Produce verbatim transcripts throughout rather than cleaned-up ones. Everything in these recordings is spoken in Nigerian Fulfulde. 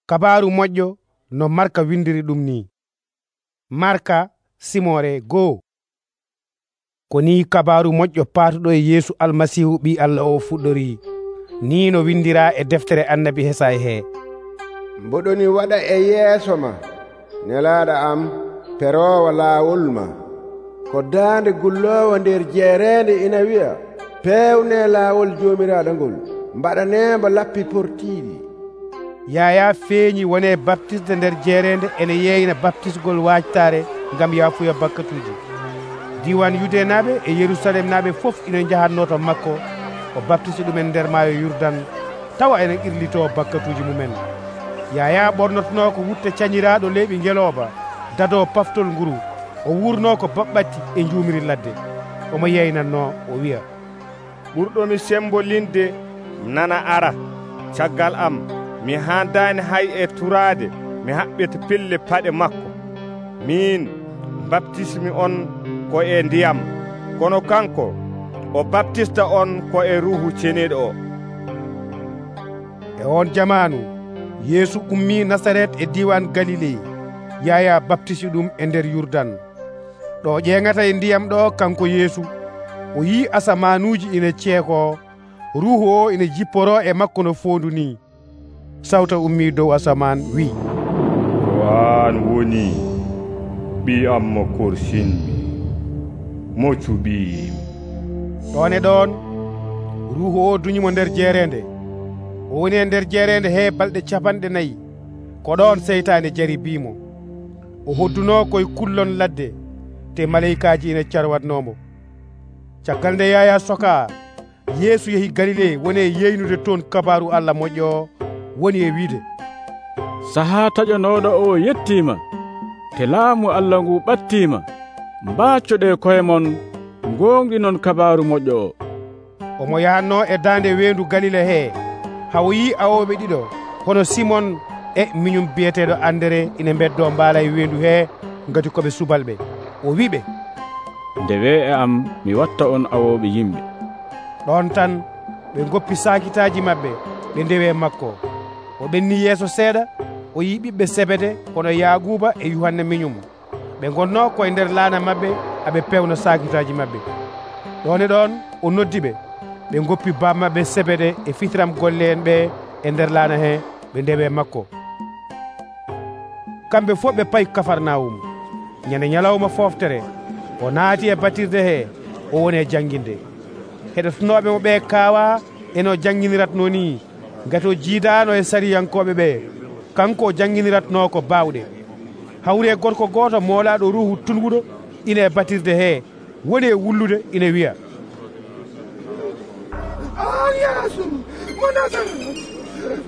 Kabaaru moƴƴo no Marka windiri ɗum ni. Marka simore goo. Ko ni kabaaru moƴƴo paatuɗo e Yeesu Almasihu ɓii Allah o fuɗɗori. Ni no windira e deftere annabi Hesay he: mboɗoni waɗa e yeeso ma, nelaaɗo am, peroowo laawol ma. Ko daande gulloowo nder jeereende ina wi'a, peewne laawol joomiraaɗo ngol, mbaɗaneembo lappi portiiɗi. Yaya feeñi wone baptisde nder jeereende ene yeeyna baptisgol waajtaare ngam yaafuya bakkatuuji. Diwan Yude naaɓe e Yerusalem naaɓe fof ina njahatno to makko o baptisi ɗumen nder maayo Yurdan, tawa enen irlitoo bakkatuuji mumen. Yaya ɓornotono ko wutte cañiraaɗo leyɓi ngelooba, dadoo paftol nguru, o wurno ko baɓɓatti e njuumiri ladde. Omo yeynatno o wi'a, ɓurɗomi sembolinde nana ara. Caggal am mi haandaani hay e turaade mi haɓɓita pelle paɗe makko. Min baptismi on ko e ndiyam, kono kanko o baptista on ko e Ruuhu Ceniiɗo o. E on jamaanu Yeesu ummii Nasaret e diiwan Galile. Yaya baptisi ɗum e nder Yurdan. Ɗo ƴeeŋata e ndiyam ɗo kanko Yeesu o yii asamaanuuji ina ceekoo, Ruuhu o ina jipporoo e makko no foondu ni. Sawta ummii dow asamaan wi'i, o an woni ɓii am mo korsinmi, mo cuɓiimi. ɗon e ɗon Ruuhu o duñimo nder jeereende. O woni e nder jeereende he balɗe capanɗe nayi. Ko ɗon seytaane jaribiimo. O hodduno koye kullon ladde, te maleykaaji ina carwatnomo. Caggal nde Yaya sokaa, Yeesu yehi Galile woni e yeynude toon kabaaru Allah moƴƴo o, woni e wiide, sahaa taƴanooɗo o yettiima, te laamu Allah ngu ɓattiima. Mbaccoɗe koye mon, gonginon kabaaru moƴƴo o. Omo yahanno e daande weendu Galile he, hawo yii awoɓe ɗiɗo, hono Simon e miñum biyeteeɗo Andere ina beddo mbaala e weendu he ngati koɓe subalɓe. O wiɓe, ndewe e am mi watta on awoɓe yimɓe. ɗon tan ɓe goppi saakitaaji maɓɓe ɓe ndewe makko. O ɓenni yeeso seeɗa, o yii ɓiɓɓe Sebede kono Yaaguba e Yuhanna miñum. ɓe gonno koye nder laana maɓɓe aɓe pewna saakitaaji maɓɓe. ɗon e ɗon o noddi ɓe, ɓe goppi bammaɓe Sebede e fitiram golle en ɓe e nder laana he ɓe ndewe makko. kamɓe fof ɓe payi Kafarnawum. ñande ñalawma foftere o naati e batirde he, o woni e jannginde. heɗotonoɓe mo ɓe kaawa eno jannginiratno ni, ngati o jiidano e sariyankoɓe ɓe, kanko o jannginiratno ko bawɗe. hawre gorko goto moolaɗo ruuhu tunguɗo ina e batirde he, woni e wullude ina wiya, an Yeesu mo Nasaret,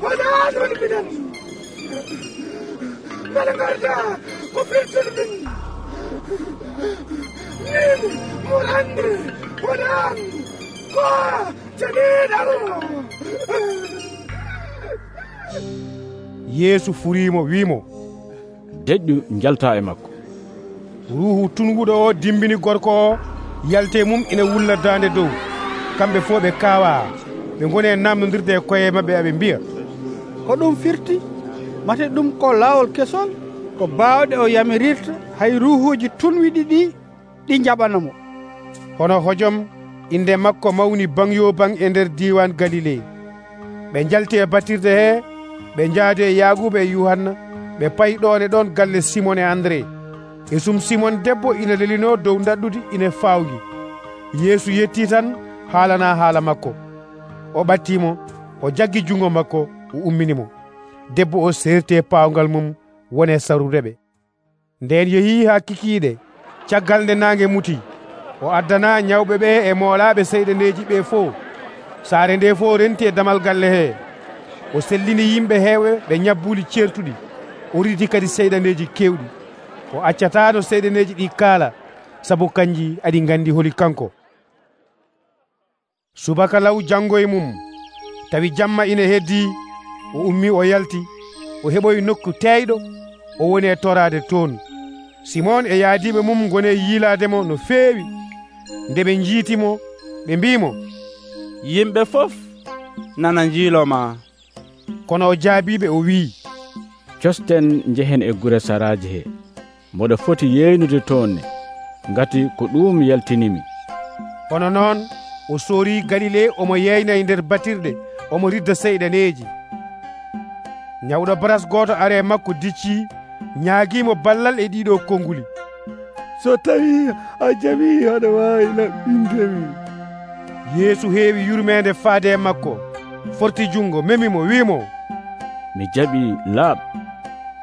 wonaan woni minen. mbele garda ko firtude min. min mo andi wonaan ko Ceniiɗo. Yeesu furiimo wiimo, deƴƴu jalta e makko. ruuhu tunguɗo o dimbini gorko o, yalte mum ina wulla daande dow. kamɓe fof ɓe kaawa, ɓe ngoni e namdodirde e koye maɓɓe aɓe mbiya, hoɗum firti mate ɗum ko laawol kesol ko baawɗe o yamirirta hay ruuhuuji tunwiɗi ɗi ɗi jaɓanamo. hono hojom inde makko mawni bangyo bang e nder diwan Galile. ɓe jalti e batirde he, ɓe njaadi e Yaaguba e Yuhanna, ɓe payi ɗon e ɗon galle Simon e Andre. e sum Simon debbo ina lelino dow daɗɗude ina fawgi. Yeesu yetti tan haalana haala makko. o ɓattimo, o jaggi jungo makko, o umminimo. debbo o serti pawngal mum wone sarude ɓe. nden yeehi ha kikiiɗe. caggal nde nangue muti, o addana ñawɓe ɓe e moolaɓe seyɗaneji ɓe fof. saare nde fof renti e damal galle he. o sellini yimɓe heewɓe ɓe ñabbuli certuɗi, o riti kadi seyɗaneji kewɗi. o accatano seyɗaneji ɗi kaala, sabu kanji aɗi gandi holi kanko. subaka law janngo e mum, tawi jamma ina heddi, o ummi o yalti, o heɓoyi nokku teyɗo, o woni e torade toon. Simon e yaadiɓe mum goni e yiilademo no feewi. nde ɓe jiitimo, ɓe mbimo, yimɓe fof nana jiiloma. kono o jaabiɓe o wii, costen njehen e gure saraaji he moɗo foti yeynude toonne ngati ko ɗum yaltinimi. Hono noon o soori Galile omo yeyna e nder batirɗe omo ridda seyɗaneeji. Nyawɗo baras gooto are makko dicci ñaagiimo ballal e ɗiɗo konguli. So tawi a jaɓi aɗa waawi laɓɓindemi. Yeesu heewi yurmeende faade makko, forti jungo memimo wiimo, mi jaɓi, laaɓ.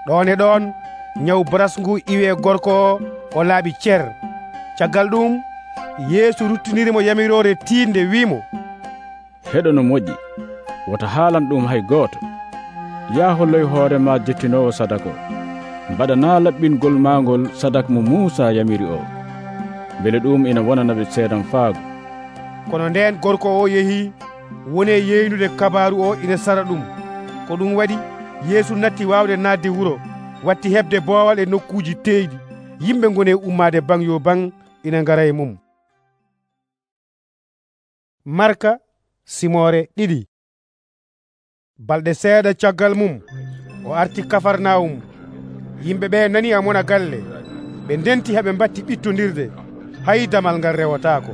ɗon e ɗon nyaw baras ngu iwe gorko o o laaɓi cer. Caggal ɗum Yeesu ruttinirimo yamirore tiinde wiimo, heɗo no moƴƴi, wota haalan ɗum hay gooto. yaa holloy hoorema jettinowo sadaka o, mbaɗana laɓɓingol maangol sadaka mo Muusa yamiri o, beele ɗum ina wonanaɓe seedan faago. Kono nden gorko o yehi woni e yeynude kabaru o ina sara ɗum. Ko ɗum waɗi Yeesu natti wawde naatde wuro, watti heɓde boowal e nokkuuji teydi. Yimɓe ngoni e ummade bang yo bang ina ngara e mum. Marka simore ɗiɗi. Balɗe seeɗa caggal mum o arti Kafarnawum. Yimɓe ɓe nani amona galle, ɓe ndenti haɓe mbatti ɓittodirde, hay damal ngal rewotako.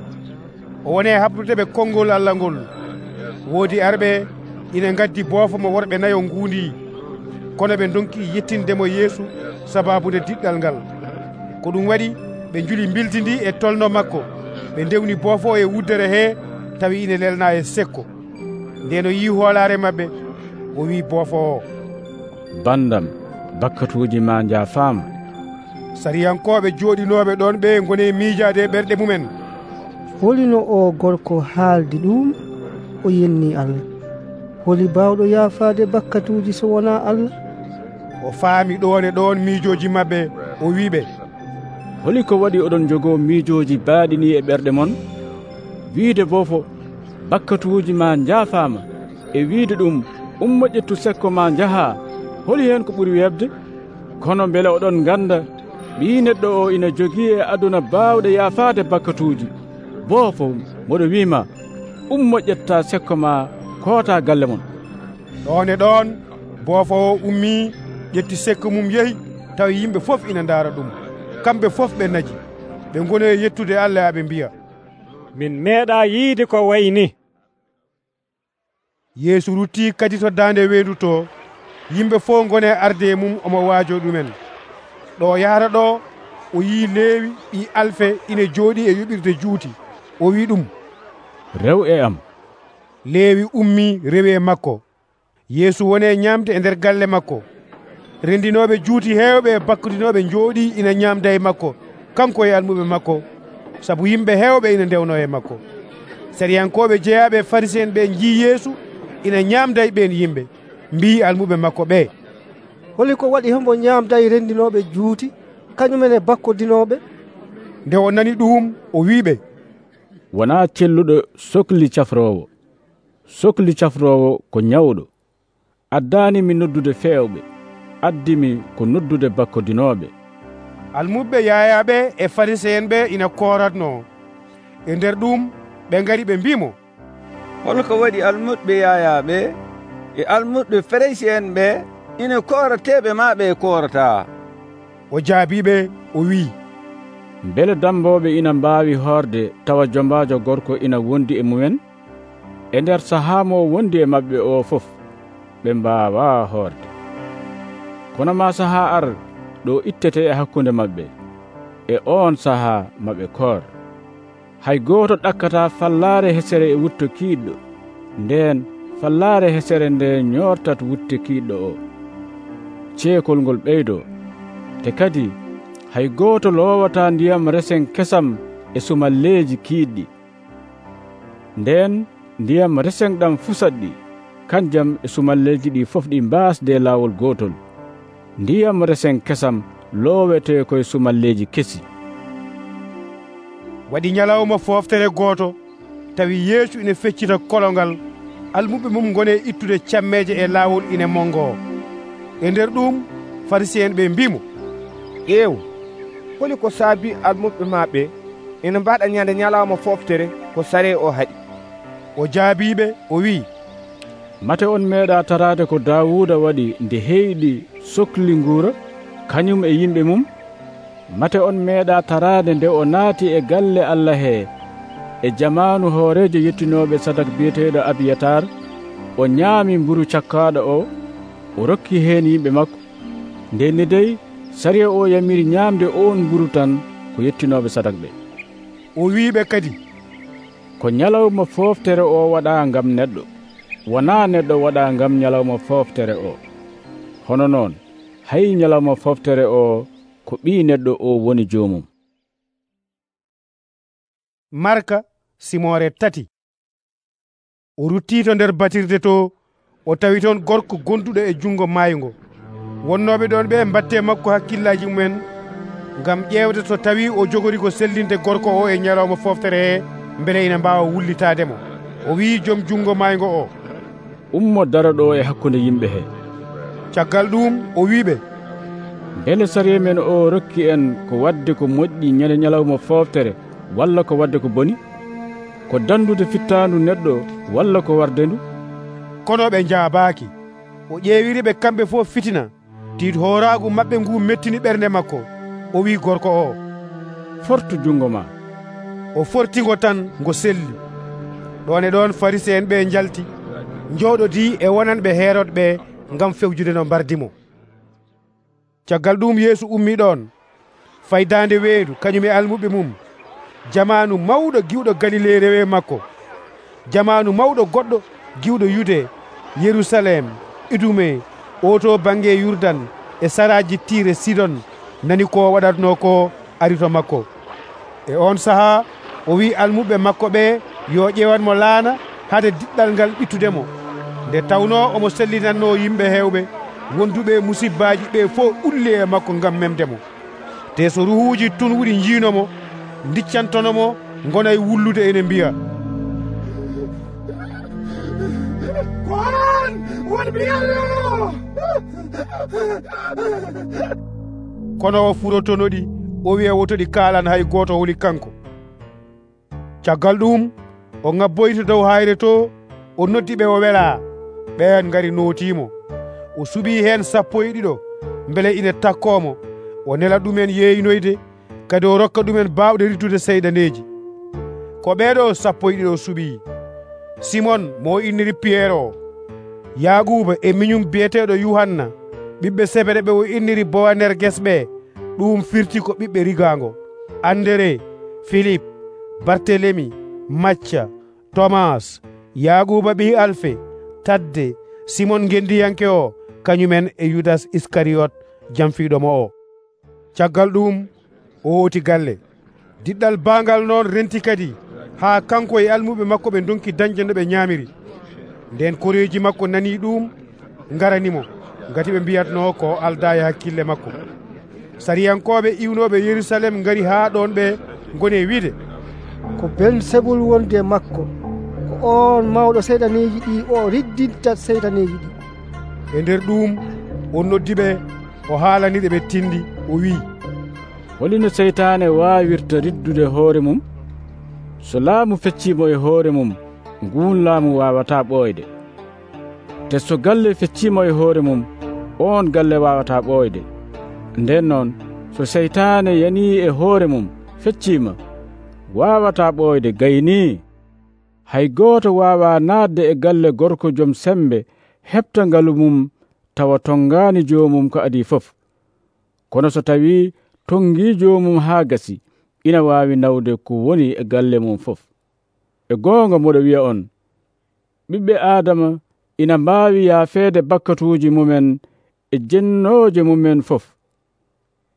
O woni e habdude ɓe konngol Allah ngol. Woodi arɓe ina gaddi boofo mo worɓe nayo nguundi, kono ɓe donki yettindemo Yeesu sababude diɗɗal ngal. Ko ɗum waɗi ɓe njuli mbiltindi e tolno makko, ɓe ndewni boofo e wuddere he tawi ina lelna e sekko. Nden o yi hoolare mabɓe, o wi boofo o, bandam, bakkatuuji ma njaafaama. Sariyankoɓe jooɗinoɓe ɗon ɓe ngoni e miijaade ɓerɗe mumen. holino o gorko haaldi ɗum o yenni Allah? holi bawɗo yaafaade bakkatuuji so wona Allah? O faami ɗon e ɗon miijoji mabɓe, o wiɓe, holi ko waɗi oɗon jogoo miijoji baaɗini e ɓerɗe mon? wiide boofo bakkatuuji ma njaafaama e wiide ɗum ummo ƴettu sekko ma njaha, holi heen ko ɓuri webde? kono beele oɗon ganda ɓii neɗɗo o ina jogii e aduna baawɗe yaafaade bakkatuuji. boofo moɗo wiima, ummo ƴetta sekko ma koota galle mon. ɗon e ɗon boofo o ummi ƴetti sekko mum yehi, tawi yimɓe fof ina ndaara ɗum. kamɓe fof ɓe naji, ɓe ngoni e yettude Allah aɓe mbiya, min meeɗa yiide ko wayni. Yeesu rutti kadi to daande weedu to, yimɓe fof ngoni e arde e mum omo waajo ɗumen. ɗo yahata ɗo o yi Leewi ɓi Alfe ina jooɗi e yoɓirde juuti. O wi ɗum, rew e am. Leewi ummi rewi e makko. Yeesu woni e ñamde e nder galle makko. Rendinoɓe juuti heewɓe e bakkudinoɓe jooɗi ina ñamda e makko, kanko e almuɓe makko, sabu yimɓe heewɓe ina ndewno e makko. Sariyankoɓe jeeyaɓe Farisien ɓe jii Yeesu ina ñamda e ɓen yimɓe, mbi almuɓe makko ɓe, holi ko waɗi hombo ñamda e rendinoɓe juuti kañumen e bakkodinoɓe? Nde o nani ɗum o wiɓe, wona celluɗo sohli cafrowo. sohli cafrowo ko ñawɗo. addanimi noddude feewɓe, addimi ko noddude bakkodinoɓe. almuɓe yaayaɓe e Farisien ɓe ina koratno. e nder ɗum ɓe ngari ɓe mbimo, holko waɗi almuɓe yaayaɓe e almuɓe Farisien ɓe ina korateɓe maɓe korata? o jaabiɓe o wi, beele damboɓe ina mbaawi hoorde tawa jombajo gorko ina wondi e mumen? e nder sahaa mo wondi e maɓɓe o fof ɓe mbaawa hoorde. kono ma sahaa ar ɗo ittete e hakkunde maɓɓe, e on sahaa maɓe koor. hay gooto ɗakkata fallaare hesere e wutto kiiɗɗo, nden fallaare hesere nde ñortat wutte kiiɗɗo o. ceekol ngol ɓeydo, te kadi hay gooto loowata ndiyam resen kesam e sumalleeji kiiɗɗi. nden ndiyam resen ɗam fusat ɗi, kanjam e sumalleeji ɗi fof ɗi mbaasde laawol gootol. ndiyam resen kesam loowete koye sumalleeji kesi. waɗi ñalawma fooftere gooto, tawi Yeesu ina feccita kolongal, almuɓe mum ngoni e ittude cammeje e laawol ina mongo. e nder ɗum Farisien ɓe mbimo, ƴeew, holi ko saabi almuɓe maɓɓe ina mbaɗa ñande ñalawma fooftere ko sare o haɗi? o jaabiɓe o wi, mate on meeɗa tarade ko Daawuda waɗi nde heyɗi sohli nguura kañum e yimɓe mum? Mate on meeɗa tarade nde o naati e galle Allah he e jamanu hoorejo yettinoɓe sadak biyeteɗo Abiyatar, o ñaami mburu cakkaɗo o, o rokki heen yimɓe makko. Nde dey sariya o yamiri ñaamde on mburu tan ko yettinoɓe sadak ɓe. O wiiɓe kadi, ko ñalawma fooftere o waɗa ngam neɗɗo, wona neɗɗo waɗa ngam ñalawma fooftere o. Hono noon hay ñalawma fooftere o ko ɓii neɗɗo o woni joomum. Marka simore tati. O rutti to nder batirde to, o tawi toon gorko gonduɗo e jungo maayungo. Wonnoɓe ɗon ɓe mbatte makko hakkillaji mumen ngam ƴewde to tawi o jogori ko sellinde gorko o e ñalawma fooftere he, mbele ina mbawa wullitademo. O wi joom jungo maayungo o, ummo dara ɗo e hakkunde yimɓe he. caggal ɗum o wiɓe, beele sariya men o rokki en ko wadde ko moƴƴi ñande ñalawma fooftere walla ko wadde ko boni, ko dandude fittandu neɗɗo walla ko warde ndu? Kono ɓe jaabaaki. O ƴeewiriɓe kamɓe fof fitina, tiid hooraagu maɓɓe ngu mettini ɓernde makko. O wi gorko o, fortu jungo ma. O fortingo tan ngo selli. Ɗon e ɗon Fariseen ɓe njalti, njooɗodii e wonanɓe Herod ɓe ngam fewjude no mbardimo. Caggal ɗum Yeesu ummi ɗon, faydaande weendu kañum e almuɓe mum. Jamanu mawɗo giwɗo Galile rewe makko. Jamanu mawɗo goɗɗo giwɗo Yude, Yerusalem, Idume, oto bange Yurdan e saraji Tire Sidon nani ko waɗatno ko ari to makko. E on saha o wi almuɓe makko ɓe yo ƴewanmo laana hade diɗɗal ngal ɓittudemo. Nde tawno omo sellinanno yimɓe hewɓe, wonduɓe musibbaji ɓe fof ulli e makko ngam memdemo. Te so ruhuji tunwuɗi jiinomo, diccantonomo gona e wullude ene mbiya, Koran woni biyallo. Kono o furotonoɗi, o wiya wotoɗi kaalan hay goto woni kanko. Caggal ɗum o ngabboyto dow hayre to, o noddi ɓe o wela. Ɓen ngari nootimo. O suɓi hen sappo e ɗiɗo beele ina takkomo. O nela ɗumen yeeynoyde, kadi o rokka ɗumen bawɗe rittude seyɗaneji. Ko ɓeɗo sappo e ɗiɗo suɓi: Simon mo inniri Pierre o, Yaguba e miñum biyeteɗo Yuhanna, ɓiɓɓe Sebede ɓe o inniri Boanerges ɓe, ɗum firti ko ɓiɓɓe rigango, Andere, Philippe, Bartelemi, Macca, Thomas, Yaguba ɓi Alfe, Tadde, Simon gendiyanke o, kañumen e Yudas Iskariyot jamfiɗomo o. Caggal ɗum o woti galle. Diɗɗal bangal noon renti kadi ha kanko e almuɓe makko ɓe donki dañde no ɓe ñamiri. Nden koreji makko nani ɗum, ngaranimo, ngati ɓe mbiyatno ko alda e hakkille makko. Sariyankoɓe iwnoɓe Yerusalem ngari ha ɗon ɓe gone wiide, ko Belsebul wonde e makko, ko on mawɗo seyɗaneji ɗi o riddinta seyɗaneji ɗi. E nder ɗum o noddiɓe, o haalaniɗe ɓe tindi, o wi, holino seytane wawirta riddude hoore mum? So laamu feccimo e hoore mum, ngun laamu wawata ɓooyde. Te so galle feccimo e hoore mum, on galle wawata ɓooyde. Nden noon so seytane yani e hoore mum feccima, wawata ɓooyde gayni. Hay goto wawa naatde e galle gorko joom sembe heɓta ngalu mum tawa tongani joomum ko adi fof. Kono so tawi tongi joomum ha gasi, ina wawi nawde ko woni e galle mum fof. E goonga moɗo wiya on, ɓiɓɓe Adama ina mbawi yaafeede bakkatuji mumen e jennoje mumen fof.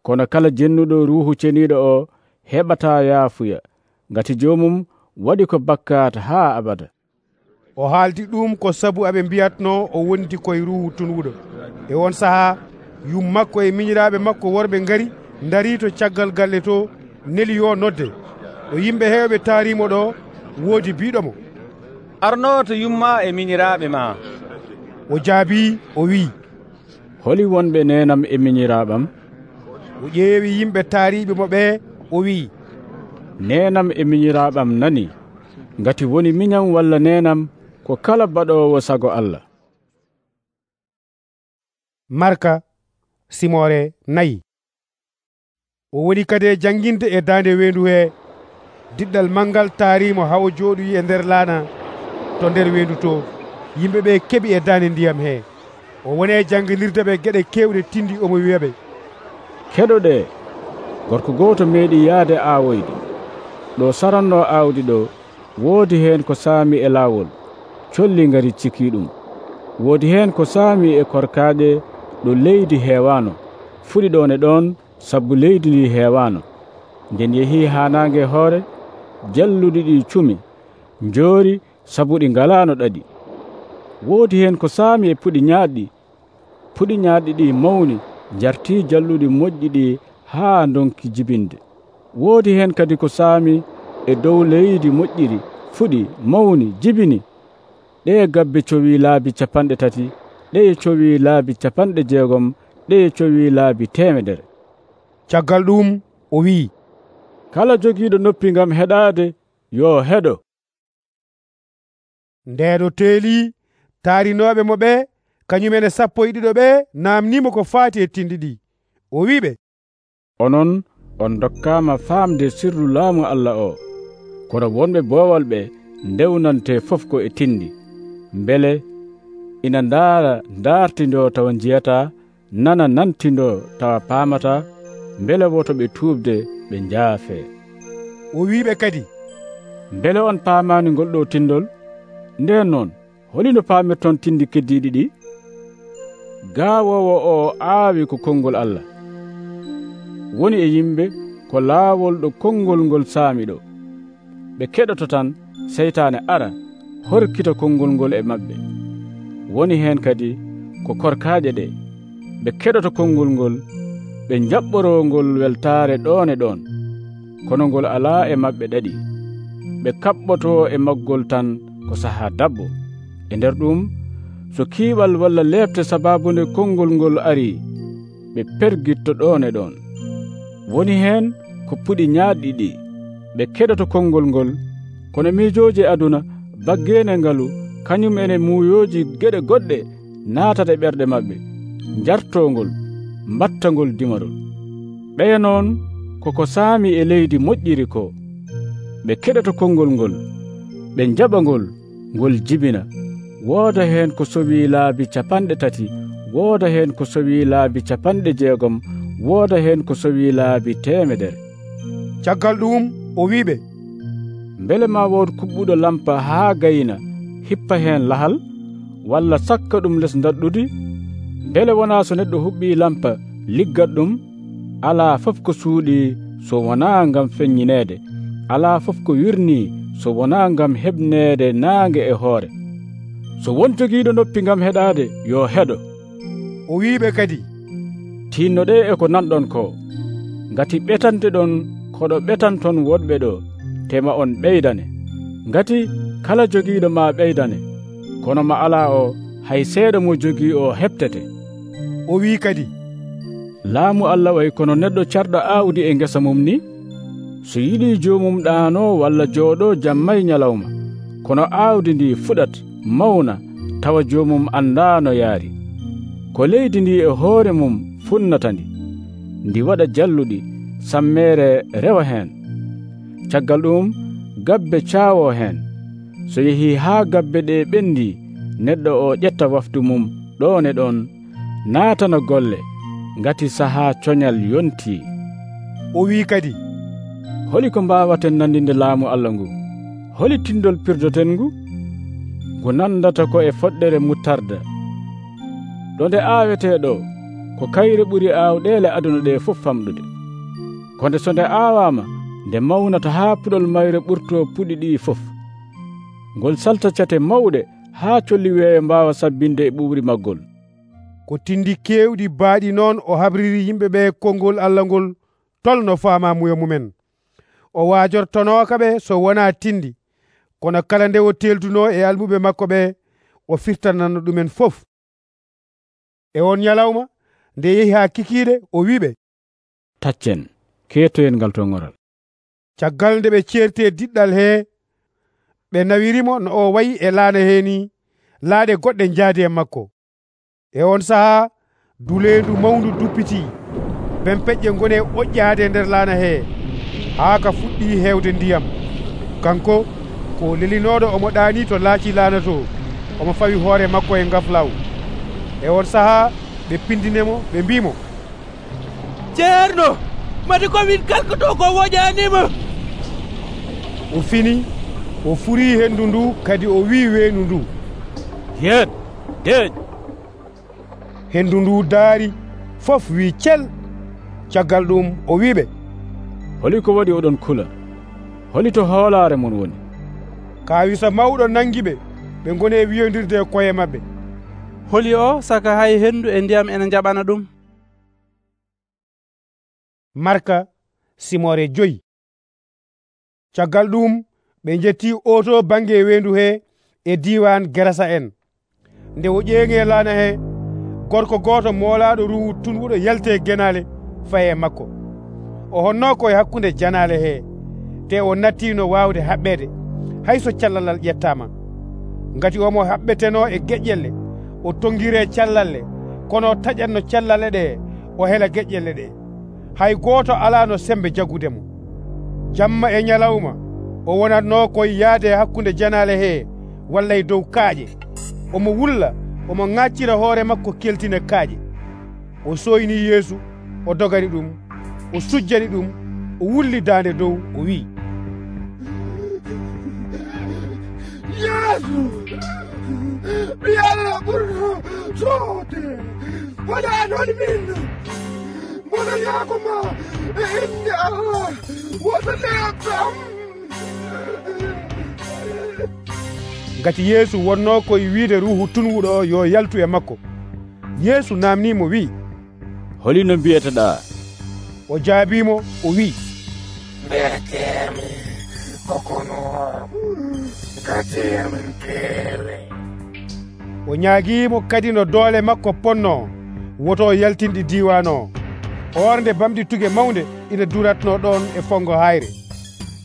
Kono kala jennuɗo ruuhu ceniɗo o heɓata yaafuya, ngati joomum waɗi ko bakkat ha abada. O haaldi ɗum ko sabu aɓe mbiyatno o wondi koye ruuhu tunwuɗo. E on saha yum makko e miñiraɓe makko worɓe ngari dari to caggal galle to, neli yo nodde. O yimɓe hewɓe taarimo ɗo, woodi biɗomo, arno to yumma e miñiraɓe ma. O jaabi o wi, holi wonɓe nenam e miñiraɓam? O ƴeewi yimɓe taariɓe mo ɓe, o wi, nenam e miñiraɓam nani, ngati woni miñam walla nenam ko kala baɗowo sago Allah. Marka simore nayi. O woni kadi e janginde e daande wendu he. Diɗɗal mangal taarimo hawo jooɗoyi e nder laana to nder wendu to. Yimɓe ɓe keɓi e daande ndiyam he. O woni e janginirde ɓe geɗe kewɗe tindi omo wiyaɓe, keɗoɗe, gorko gooto meeɗi yaade aawoyde. Ɗo saranno aawdi ɗo woodi heen ko saami e laawol, colli ngari cikii ɗum. Woodi heen ko saami e korkaaɗe ɗo leydi heewaano, fuɗi ɗon e ɗon sabu leydi ndi heewaano. Nden yehii haa naange hoore, jalluɗi ɗi cumi, njoori sabu ɗi ngalaano ɗaɗi. Woodi heen ko saami e puɗi ñaaɗɗi, puɗi ñaaɗɗi ɗi mawni, njartii jalluɗi moƴƴi ɗi haa ndonki jibinde. Woodi heen kadi ko saami e dow leydi moƴƴiri, fuɗi, mawni, jibini. Ɗee gabbe cowii laabi capanɗe tati, ɗeye cowii laabi capanɗe jeegom, ɗeye cowii laabi temedere. Caggal ɗum o wii, kala jogiiɗo noppi ngam heɗaade yo heɗo. Ndeeɗo teelii taarinooɓe mo ɓe kañumen e sappo e ɗiɗo ɓe naamnimo ko faati e tindi ɗi. O wiiɓe, onon on dokkaama faamde sirru laamu Allah o, kono wonɓe boowal ɓe ndewnante fof ko e tindi, mbele ina ndaara ndaartindoo tawa njiyataa, nana nantindoo tawa paamataa, mbele woto ɓe tuubde ɓe njaafee. O wiiɓe kadi, mbele on paamaani ngol ɗo tindol? Nden noon holino paamirton tindi keddiiɗi ɗi? Gaawoowo o aawi ko konngol Allah. Woni e yimɓe ko laawol ɗo konngol ngol saami ɗo. Ɓe keɗoto tan seytaane ara horkita konngol ngol e maɓɓe. Woni heen kadi ko korkaaje ɗe. Ɓe keɗoto konngol ngol, ɓe njaɓɓoroo ngol weltaare ɗon e ɗon, kono ngol alaa e maɓɓe ɗaɗi. Ɓe kaɓɓotoo e maggol tan ko sahaa dabbo. E nder ɗum, so kiiɓal walla leɓte sabaabunde konngol ngol arii, ɓe pergitto ɗon e ɗon. Woni heen ko puɗi ñaaɗɗi ɗi. Ɓe keɗoto konngol ngol, kono miijooji aduna baggeene ngalu kañum ene muuyooji geɗe goɗɗe naatata e ɓerɗe maɓɓe, njartoo ngol, mbatta ngol dimarol. Ɓeya noon koko saami e leydi moƴƴiri ko. Ɓe keɗoto konngol ngol, ɓe njaɓa ngol, ngol jibina. Wooda heen ko sowii laabi capanɗe tati, wooda heen ko sowii laabi capanɗe jeegom, wooda heen ko sowii laabi temedere. Caggal ɗum o wiiɓe, mbele ma wood kuɓɓuɗo lampa haa gayna hippa heen lahal, walla sakka ɗum les daɗɗudi? Mbele wonaa so neɗɗo huɓɓii lampa liggat ɗum? Alaa fof ko suuɗii so wonaa ngam feññineede, alaa fof ko wirnii so wonaa ngam heɓneede naange e hoore. So won jogiiɗo noppi ngam heɗaade yo heɗo. O wiiɓe kadi, tinnoɗe e ko nanɗon ko, ngati ɓetante ɗon koɗo ɓetanton woɗɓe ɗo, tema on ɓeydane. Ngati kala jogiiɗo ma ɓeydane, kono ma alaa o hay seeɗa mo jogii o heɓtete. O wii kadi, laamu Allah way kono neɗɗo carɗo aawdi e ngesa mum ni. So yiɗii joomum ɗaanoo walla jooɗoo jamma e ñalawma, kono aawdi ndi fuɗat mawna tawa joomum anndaano yaari. Ko leydi ndi e hoore mum funnata ndi, ndi waɗa jalluɗi, sammeere rewa heen. Caggal ɗum gabbe caawoo heen. So yehii haa gabbe ɗe ɓendii, neɗɗo o ƴetta wafdu mum ɗon e ɗon, naatana golle, ngati sahaa coñal yontii. O wii kadi, holi ko mbaawaten nandinde laamu Allah ngu? Holi tindol pirdoten ngu? Ngu nandata ko e foɗɗere muttarda. Ɗo nde aawetee ɗo, ko kayre ɓuri aawɗeele aduna ɗe fof famɗude. Ko nde so nde aawaama, nde mawnata haa puɗol mayre ɓurtoo puɗi ɗi fof. Ngol salta cate mawɗe haa colli weeyo mbaawa sabbinde e ɓuuɓri maggol. Ko tindi keewɗi baaɗi noon o habriri yimɓe ɓe konngol Allah ngol tolno faamamuya mumen. O waajortonooka ɓe so wonaa tindi, kono kala nde o teeltunoo e almuɓe makko ɓe, o firtanano ɗumen fof. E on ñalawma nde yehi haa kikiiɗe, o wiiɓe, taccen keetoyen ngal tongoral. Caggal nde ɓe ceertee diɗɗal hee, ɓe nawirimo no o wayi e laana hee ni, laaɗe goɗɗe njaadi e makko. E on sahaa dulendu mawndu duppiti ben peƴƴe ngoni oƴƴaade nder laana hee haa ka fuɗɗi heewde ndiyam. Kanko ko lelinoɗo omo ɗaani to laaci laana to, omo fawi hoore makko e ngaflaw. E on sahaa ɓe pindinemo ɓe mbimo, ceerno, mati komin kalkoto ko woƴanima. O fini o furii henndu ndu kadi o wii weenu ndu, yen deeñ. henndu ndu daari fof wii cel. Caggal ɗum o wiiɓe, holi ko waɗi oɗon kula? holi to hoolaare mon woni? Kaawisa mawɗo nangi ɓe ɓe ngoni e wiyondirde e koye maɓɓe, holi o saka hay henndu e ndiyam ene jaɓana ɗum. Marka simore joyi. Caggal ɗum ɓe jetti oto bange weendu he e diwan Gerasa en. Nde o ƴeeŋe laana he, gorko gooto moolaaɗo ruhu tunwuɗo yalte genale faye makko. O honno koye hakkunde janale he, te o nattino waawde haɓɓede hayso callalal ƴettama. Ngati omo haɓɓeteno e geƴƴelle, o tongire callalle, kono taƴatno callalle ɗe o hela geƴƴelle ɗe. Hay gooto alano sembe jagudemo. Jamma e nyalawma o wonatno koye yaade hakkunde janale he walla e dow kaaƴe. Omo wulla, omo ŋaccira hoore makko keltina kaaƴe. O soyni Yeesu, o dogani ɗum, o sujjani ɗum, o wulli daande dow, o wi, Yeesu, mi Allah ɓurɗo soode, waɗanon min, mono yaakoma e inde Allah wotoneekam. Ngati Yeesu wonno koye wiide ruhu tunwuɗo o yo yaltu e makko. Yeesu namnimo wi, holi no mbiyeteɗa? O jaabimo o wi, mbiyetemi kokono gatemen keewe. O ñaagiimo kadi no doole makko ponno woto yaltinɗi diwan o. Ornde bamɗi tuge mawnde ina duratno ɗon e fongo hayre.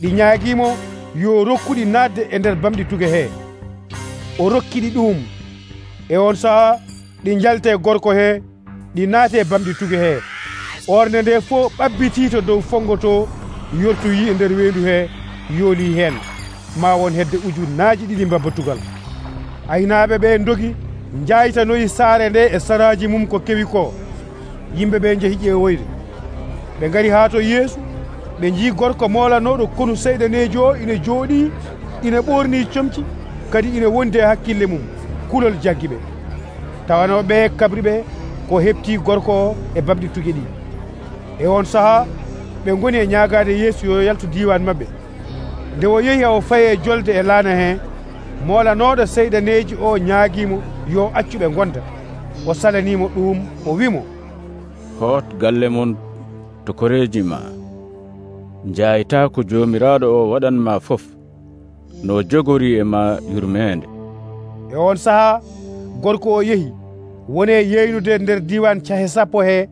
Ɗi ñaagiimo yo rokkuɗi naatde e nder bamɗi tuge he. O rokkiɗi ɗum. E on sahaa ɗi jalte gorko he, ɗi naate bamɗi tuge he. Ornde nde fof ɓabbiti to dow fongo to, yortoyi e nder weendu he, yooli hen ma won hedde ujunnaaji ɗiɗi mbabatugal. Aynaaɓe ɓe dogi jaytanoyi saare nde e saraji mum ko kewi ko. Yimɓe ɓe jehi ƴeewoyde. Ɓe ngari haa to Yeesu, ɓe jii gorko moolanoɗo konu seyɗanejo o ina jooɗi, ina ɓorni comci, kadi ina wondi e hakkille mum, kulol jaggi ɓe. Tawanoɓe kabri ɓe ko hepti gorko o e bamɗi tuge ɗi. E on sahaa ɓe ngoni e ñaagaade Yeesu yo yaltu diwan maɓɓe. Nde o yehi o faye jolde e laana he, moolanoɗo seyɗaneji o ñaagiimo yo accu ɓe gonda. O salanimo ɗum, o wimo, hot galle mon to koreji ma, jayta ko jomiraɗo o waɗanma fof no jogori e ma yurmede. E on sahaa gorko o yehi woni e yeynude nder diwan cahe sappo he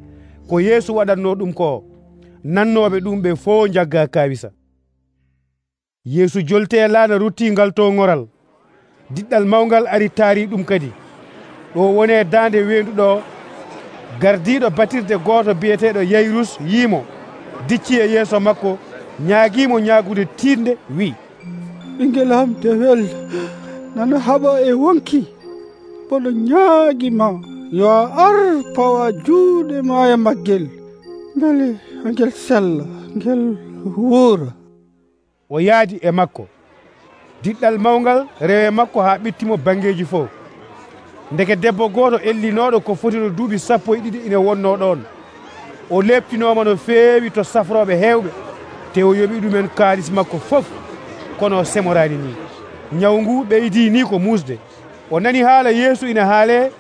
ko Yeesu waɗatno ɗum ko. Nannoɓe ɗum ɓe fof jagga kawisa. Yeesu jolte e laana ruttingal to ŋoral. Diɗɗal mawgal ari taari ɗum kadi. Ɗo woni e daande weendu ɗo, gardiɗo batirde gooto biyeteɗo Yayrus yiimo, dicci e yeeso makko, ñaagiimo ñaagude tiinde, wi, ɓingel am dewel nana haɓa e wonki, boɗo ñaagima yo a ar pawa juuɗe ma e maggel, beele ngel sella ngel wuura. O yaadi e makko. Diɗɗal mawgal rewe makko haa ɓittimo bangeeji fof. Ndeke debbo gooto ellinoɗo ko fotino duuɓi sappo e ɗiɗi ina wonno ɗon. O leptinoma no feewi to safroɓe heewɓe, te o yoɓi ɗumen kaalis makko fof, kono semorani ni. Ñaw ngu ɓeydi ni ko musde. O nani haala Yeesu ina haale,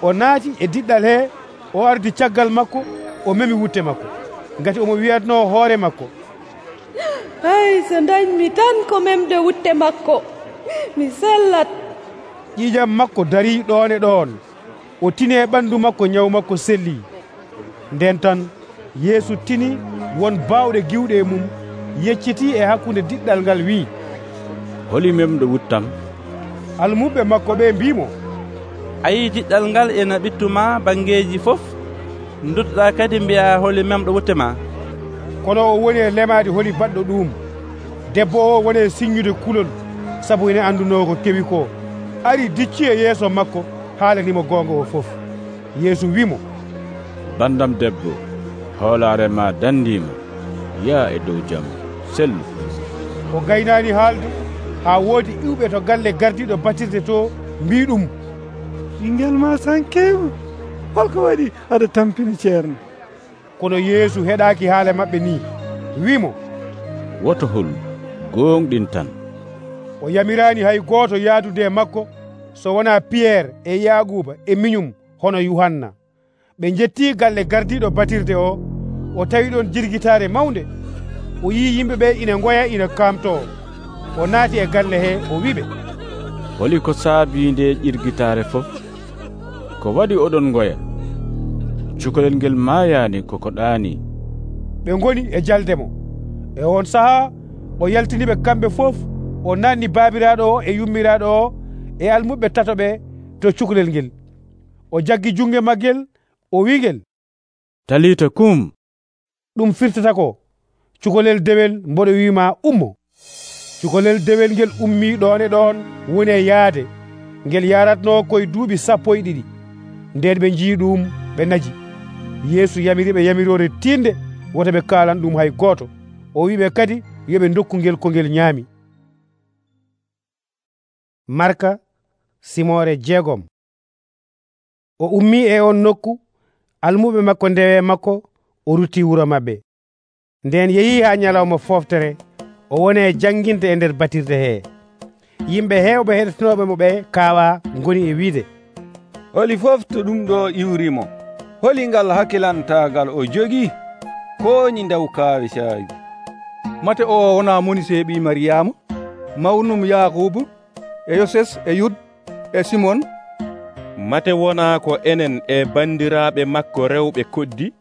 o naati e diɗɗal he, o ardi caggal makko, o memi wutte makko, ngati omo wiyatno hoore makko, ay so dañmi tan ko memde wutte makko, mi sellat. ƴiƴam makko dari ɗon e ɗon. O tini e ɓandu makko, ñaw makko selli. Nden tan Yeesu tini won bawɗe giwɗe e mum, yecciti e hakkunde diɗɗal ngal wi, holi memɗo wuttam? almuɓe makko ɓe mbimo, ayi diɗɗal ngal ena ɓittuma bangeji fof, duttoɗa kadi mbiya holi memɗo wutte ma. Kono o woni e lemaade holi baɗɗo ɗum. Debbo o woni e signude kulol sabu ene anduno ko kewi ko. Ari dicci e yeeso makko haalanimo goonga o fof. Yeesu wimo, bandam debbo, hoolare ma dandima, yaa e dow jam sellu. O gaynani haalde haa woodi iwɓe to galle gardiɗo batirde to mbi ɗum, ɓingel ma sankema, holko waɗi aɗa tampini ceerno? Kono Yeesu heɗaki haala maɓɓe ni, wimo, woto hol gonɗin tan. O yamirani hay gooto yaadude e makko so wona Piyerre e Yaquba e miñum hono Yuhanna. Ɓe jetti galle gardiɗo batirde o. O tawi ɗon jirgitare mawnde. O yi yimɓe ɓe ina ngoya ina kamto. O naati e galle he o wiɓe, holi ko saabi nde ƴirgitare fof? Ko waɗi oɗon ngoya? Cukalel ngel maayani koko ɗaani. Ɓe ngoni e jaldemo. E on sahaa o yaltiniɓe kamɓe fof. O nanni baabiraɗo o e yummiraɗo o e almuɓe tatoɓe to cukalel ngel. O jaggi junge maggel o wiigel, talita kum. ɗum firtata ko, cukalel dewel mboɗo wima ummo. Cukalel dewel ngel ummi ɗon e ɗon woni e yaade. Ngel yaratno koye duuɓi sappo e ɗiɗi. Nden ɓe jii ɗum ɓe naji. Yeesu yamiriɓe yamirore tinde woto ɓe kalan ɗum hay gooto. O wiɓe kadi yoɓe dokku ngel ko ngel ñaami. Marka simore jeegom. O ummi e on nokku, almuɓe makko ndewe makko, o rutti wuro mabɓe. Nden yeehi ha ñalawma foftere, o woni e jangguinde e nder batirde he. Yimɓe hewɓe heɗotinoɓe mo ɓe kaawa ngoni e wiide, holi fof to ɗum ɗo iwrimo, holi ngal hakkilantagal o jogi koñi ndaw kaawe caawi. mate o wona moni seeɓi Mariyama, mawnum Yakubu e Yoses e Yud e Simon? Mate wona ko enen e bandiraɓe makko rewɓe koddi?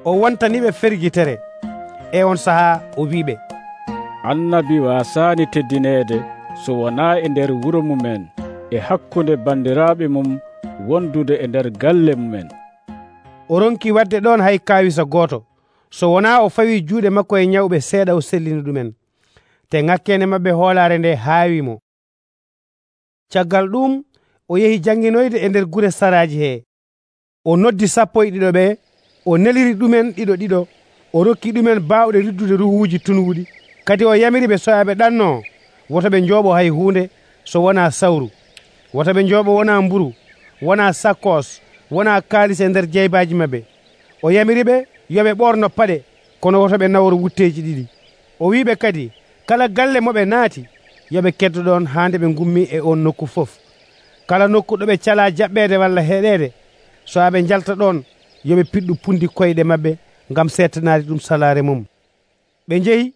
O wontaniɓe fergitere. E on sahaa o wiɓe, annabi wasani teddinede so wona e nder wuro mumen e hakkunde bandiraɓe mum wondude e nder galle mumen. O ronki wadde ɗon hay kawisa gooto, so wona o fawi juuɗe makko e ñawɓe seeɗa o sellini ɗumen. Te ŋakkene mabɓe hoolare nde haawimo. Caggal ɗum o yehi jannginoyde e nder gure saraji he. O noddi sappo e ɗiɗo ɓe, o neliri ɗumen ɗiɗo ɗiɗo, o rokki ɗumen baawɗe riddude ruhuuji tunuuɗi. Kadi o yamiri ɓe soyaɓe ɗanno woto ɓe njooɓo hay huunde so wona sawru, woto ɓe njooɓo wona mburu, wona sakkos, wona kaalis e nder jeybaji maɓɓe. O yamiri ɓe yoɓe ɓorno paɗe, kono woto ɓe nawro wutteji ɗiɗi. O wiɓe kadi kala galle moɓe naati yoɓe keddo ɗon haande ɓe gummi e on nokku fof. Kala nokku ɗo ɓe cala jaɓɓede walla heɗede, so aɓe jalta ɗon yoɓe piɗɗu pundi koyɗe maɓɓe ngam settanade ɗum salare mum. Ɓe jeehi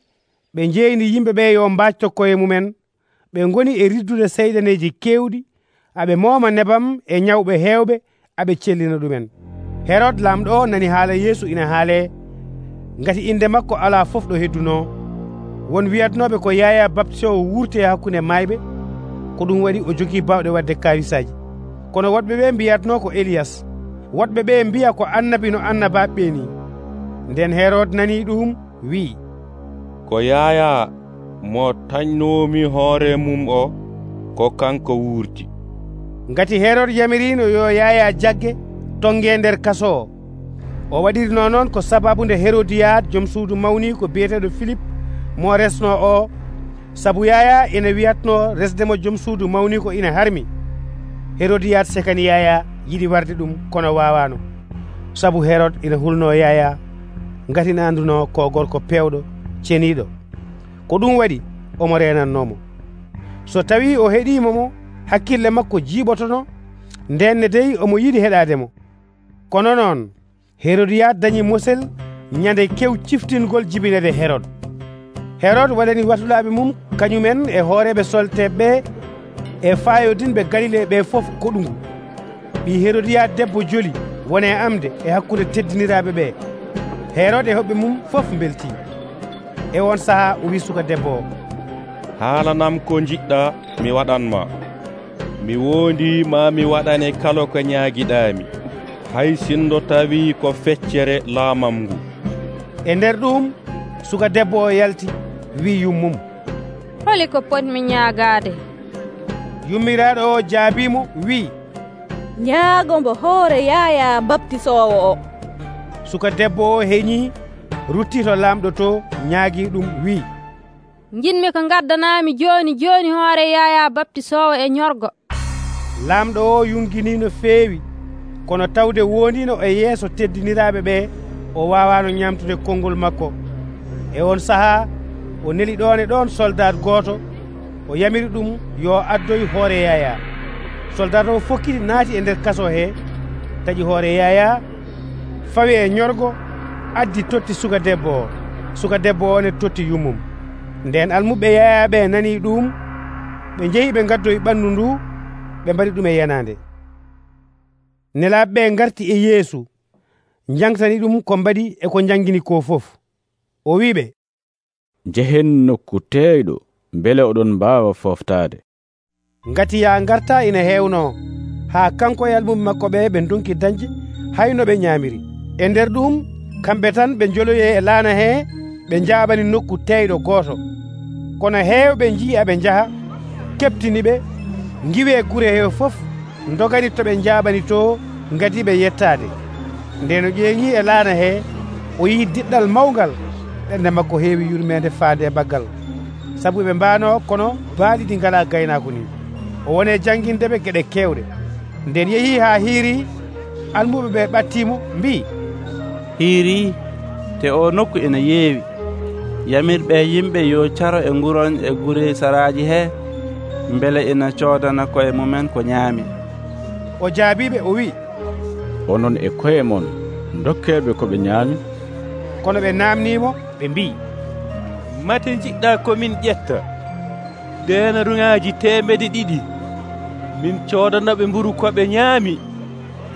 ɓe jeeyni yimɓe ɓe yo mbacto koye mumen. Ɓe ngoni e riddude seyɗaneji kewɗi, aɓe mooma nebam e ñawɓe hewɓe, aɓe cellina ɗumen. Herod lamɗo o nani haala Yeesu ina haale, ngati inde makko ala fof ɗo hedduno. Won wiyatnoɓe ko Yaya baptisowo wurti e hakkunde mayɓe, ko ɗum waɗi o jogii bawɗe wadde kawisaji. Kono woɗɓe ɓe mbiyatno ko Eliyas, woɗɓe ɓe mbiya ko annabi no annabaɓe ɓe ni. Nden Herod nani ɗum wi, ko Yaya mo tañnomi hoore mum o, ko kanko wurti. Ngati Herod yamirino yo Yaya jagge tonge nder kaso o. O waɗirino noon ko sababu nde Herodiyad joom suudu mawni ko biyeteɗo Philippe mo resno o, sabu Yaya ina wiyatno resdemo joom suudu mawni ko ina harmi. Herodiyad sekani Yaya yiɗi warde ɗum kono wawano, sabu Herod ina hulno Yaya ngati ina anduno ko gorko pewɗo ceniɗo. Ko ɗum waɗi omo renannomo. So tawi o heeɗimo mo, hakkille makko jiiɓotono, ndenne dey omo yiɗi heɗademo. Kono noon Herodiyad dañi mosel ñande kew ciftingol jibinede Herod. Herod waɗani watulaɓe mum kañumen e hooreɓe solteɓe e fayodinɓe Galile ɓe fof koɗungu. ɓi Herodiyad debbo joli wone amde e hakkude teddiniraɓe ɓe. Herod e hoɓɓe mum fof belti. E on saha o wi suka debbo o, haalanam ko jiɗɗa mi waɗanma. Mi wondi ma mi waɗane kala ko ñaagiɗami. hay sindo tawi ko feccere laamam ngu. E nder ɗum suka debbo o yalti wi yummum, holi ko potmi ñaagaade? Yummiraɗo o jaabimo wi, ñaago mbo hoore Yaya Baptisoowo o. Suka debbo o heñi rutti to lamɗo to ñaagi ɗum wi, jinmi ko gaddanaami joni joni hoore Yaya Baptisoowo e ñorgo. Lamɗo o yungini no feewi, kono tawde wondino e yeeso teddiniraaɓe ɓe o wawano ñamtude konngol makko. E on sahaa o neli ɗon e ɗon soldat gooto, o yamiri ɗum yo addoy hoore Yaya. Soldat o fokkiti naati e nder kaso he, taƴi hoore Yaya, fawi e ñorgo, addi totti suka debbo o. Suka debbo o ne totti yummum. Nden almuɓe Yaya ɓe nani ɗum, ɓe njehi ɓe gaddoyi ɓandu ndu, ɓe mbaɗi ɗum e yanande. Nelaaɓe ɓe ngarti e Yeesu, jangtani ɗum ko mbaɗi e ko jangini ko fof. O wiɓe, njehen nokku teeyɗo mbele oɗon mbaawa fooftaade. Ngati ya ngarta ina heewno, haa kanko e almuɓe makko ɓe ɓe donki dañde hayno ɓe ñaamiri. E nder ɗum kamɓe tan ɓe joloyi e laana he, ɓe jaaɓani nokku teeyɗo gooto. Kono heewɓe njii aɓe njaha, keɓtini ɓe, ngiwi e gure he fof, ndogani to ɓe jaaɓani to, ngadiɓe yettaade. Nde no ƴeeŋi e laana he, o yii diɗɗal mawgal, ɓernde makko heewi yurmede faade e baggal, sabu ɓe mbaano kono baaɗi ɗi ngala gaynaako ni. O woni jangindeɓe geɗe kewɗe. Nden yehi haa hiiri, almuɓe ɓe ɓattimo mbi, hiiri te o nokku ina yeewi, yamirɓe yimɓe yo caro e nguron e gure saraaji he, mbele ina coodana koye mumen ko ñaami. O jaabiɓe o wi, onon e koye mon dokkeɓe ko ɓe ñaami. Kono ɓe namnimo ɓe mbi, mate jiɗɗa komin ƴetta denaruŋaji temedde ɗiɗi min coodanaɓe mburu koɓe ñaami.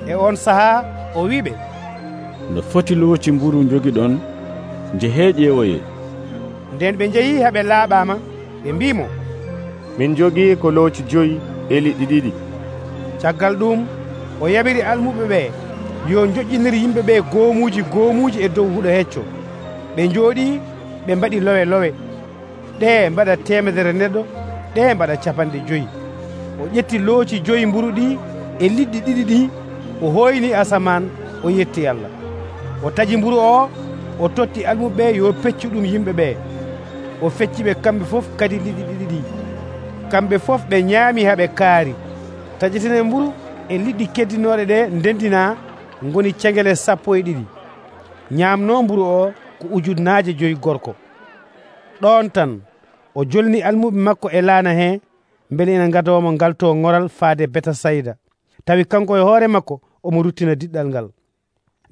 E on sahaa o wiɓe, no foti looci mburu jogiɗon njehe ƴeewoye. Nden ɓe njehi haɓe laaɓama, ɓe mbimo, min jogii ko looci joyi e liɗɗi ɗiɗi. Caggal ɗum o yamiri almuɓe ɓe yo joƴƴinir yimɓe ɓe goomuji goomuji e dow huɗo hecco. Ɓe njooɗi ɓe mbaɗi lowe lowe, ɗe mbaɗa temedere neɗɗo, ɗe mbaɗa capanɗe joyi. O ƴetti looci joyi mburu ɗi e liɗɗi ɗiɗi ɗi, o hoyni asaman, o yetti Allah. O taji mburu o, o totti almuɓe ɓe yo peccu ɗum yimɓe ɓe. O fecci ɓe kamɓe fof kadi liɗɗi ɗiɗi ɗi. Kamɓe fof ɓe ñaami haɓe kaari. Tajitene mburu e liɗɗi keddinoɗe ɗe ndendina ngoni cengele sappo e ɗiɗi. Ñaamno mburu o ko ujunnaaje joyi gorko. Ɗon tan o jolni almuɓe makko e laana he, mbele ina ngadomo ngalto ngoral faade Betasayda, tawi kanko e hoore makko omo ruttina diɗɗal ngal.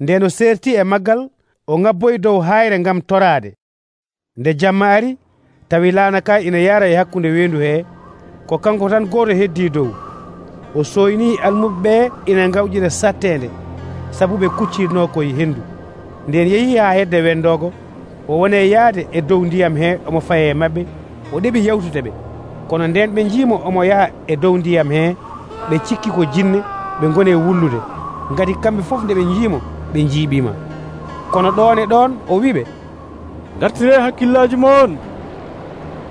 Nden o serti e maggal, o ngabboyi dow hayre ngam toraade. Nde jamma ari, tawi laana ka ina yara e hakkunde wendu he, ko kanko tan goto heddi dow. O soyni almuɓe ɓe ina ngawƴira sattende, sabu ɓe kuccirno koye hendu. Nden yehi ha hedde wendogo, o wone yaade e dow ndiyam he omo faye mabɓe, o ɗeɓi yawtude ɓe. Kono nden ɓe jiimo omo yaha e dow ndiyam he, ɓe cikki ko jinne, ɓe gone wullude. Ngati kamɓe fof nde ɓe jiimo ɓe jiiɓima. Kono ɗon e ɗon o wiɓe, gartire hakkillaji mon,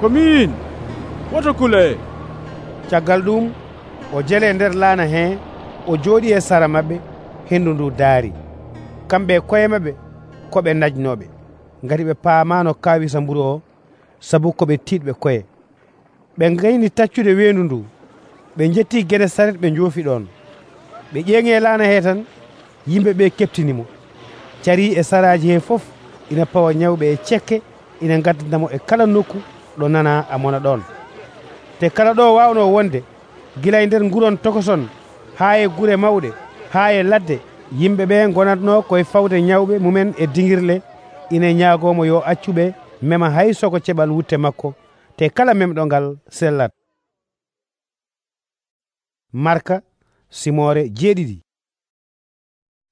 ko min, woto kule. Caggal ɗum o jele nder laana he, o jooɗi e sara mabɓe, hendu ndu daari. Kamɓe koye mabɓe koɓe najnoɓe, ngati ɓe paamano kawisa mburu o, sabu koɓe tiɗɓe koye. Ɓe gayni taccude wendu ndu, ɓe jetti gueɗe saret ɓe joofi ɗon. Ɓe ƴeeŋi e laana he tan, yimɓe ɓe keptinimo. Cari e saraji he fof ina pawa ñawɓe e cekke, ina gaddandamo e kala nokku ɗo nana a mona ɗon. Te kala ɗo wawno wonde, gila e nder nguron tokoson, haa e gure mawɗe, haa e ladde, yimɓe ɓe gonatno koye fawde ñawɓe mumen e dingirle, ina ñaagomo yo accuɓe mema hay soko ceɓal wutte makko, te kala memɗo ngal sellat. Marka simore jeeɗiɗi.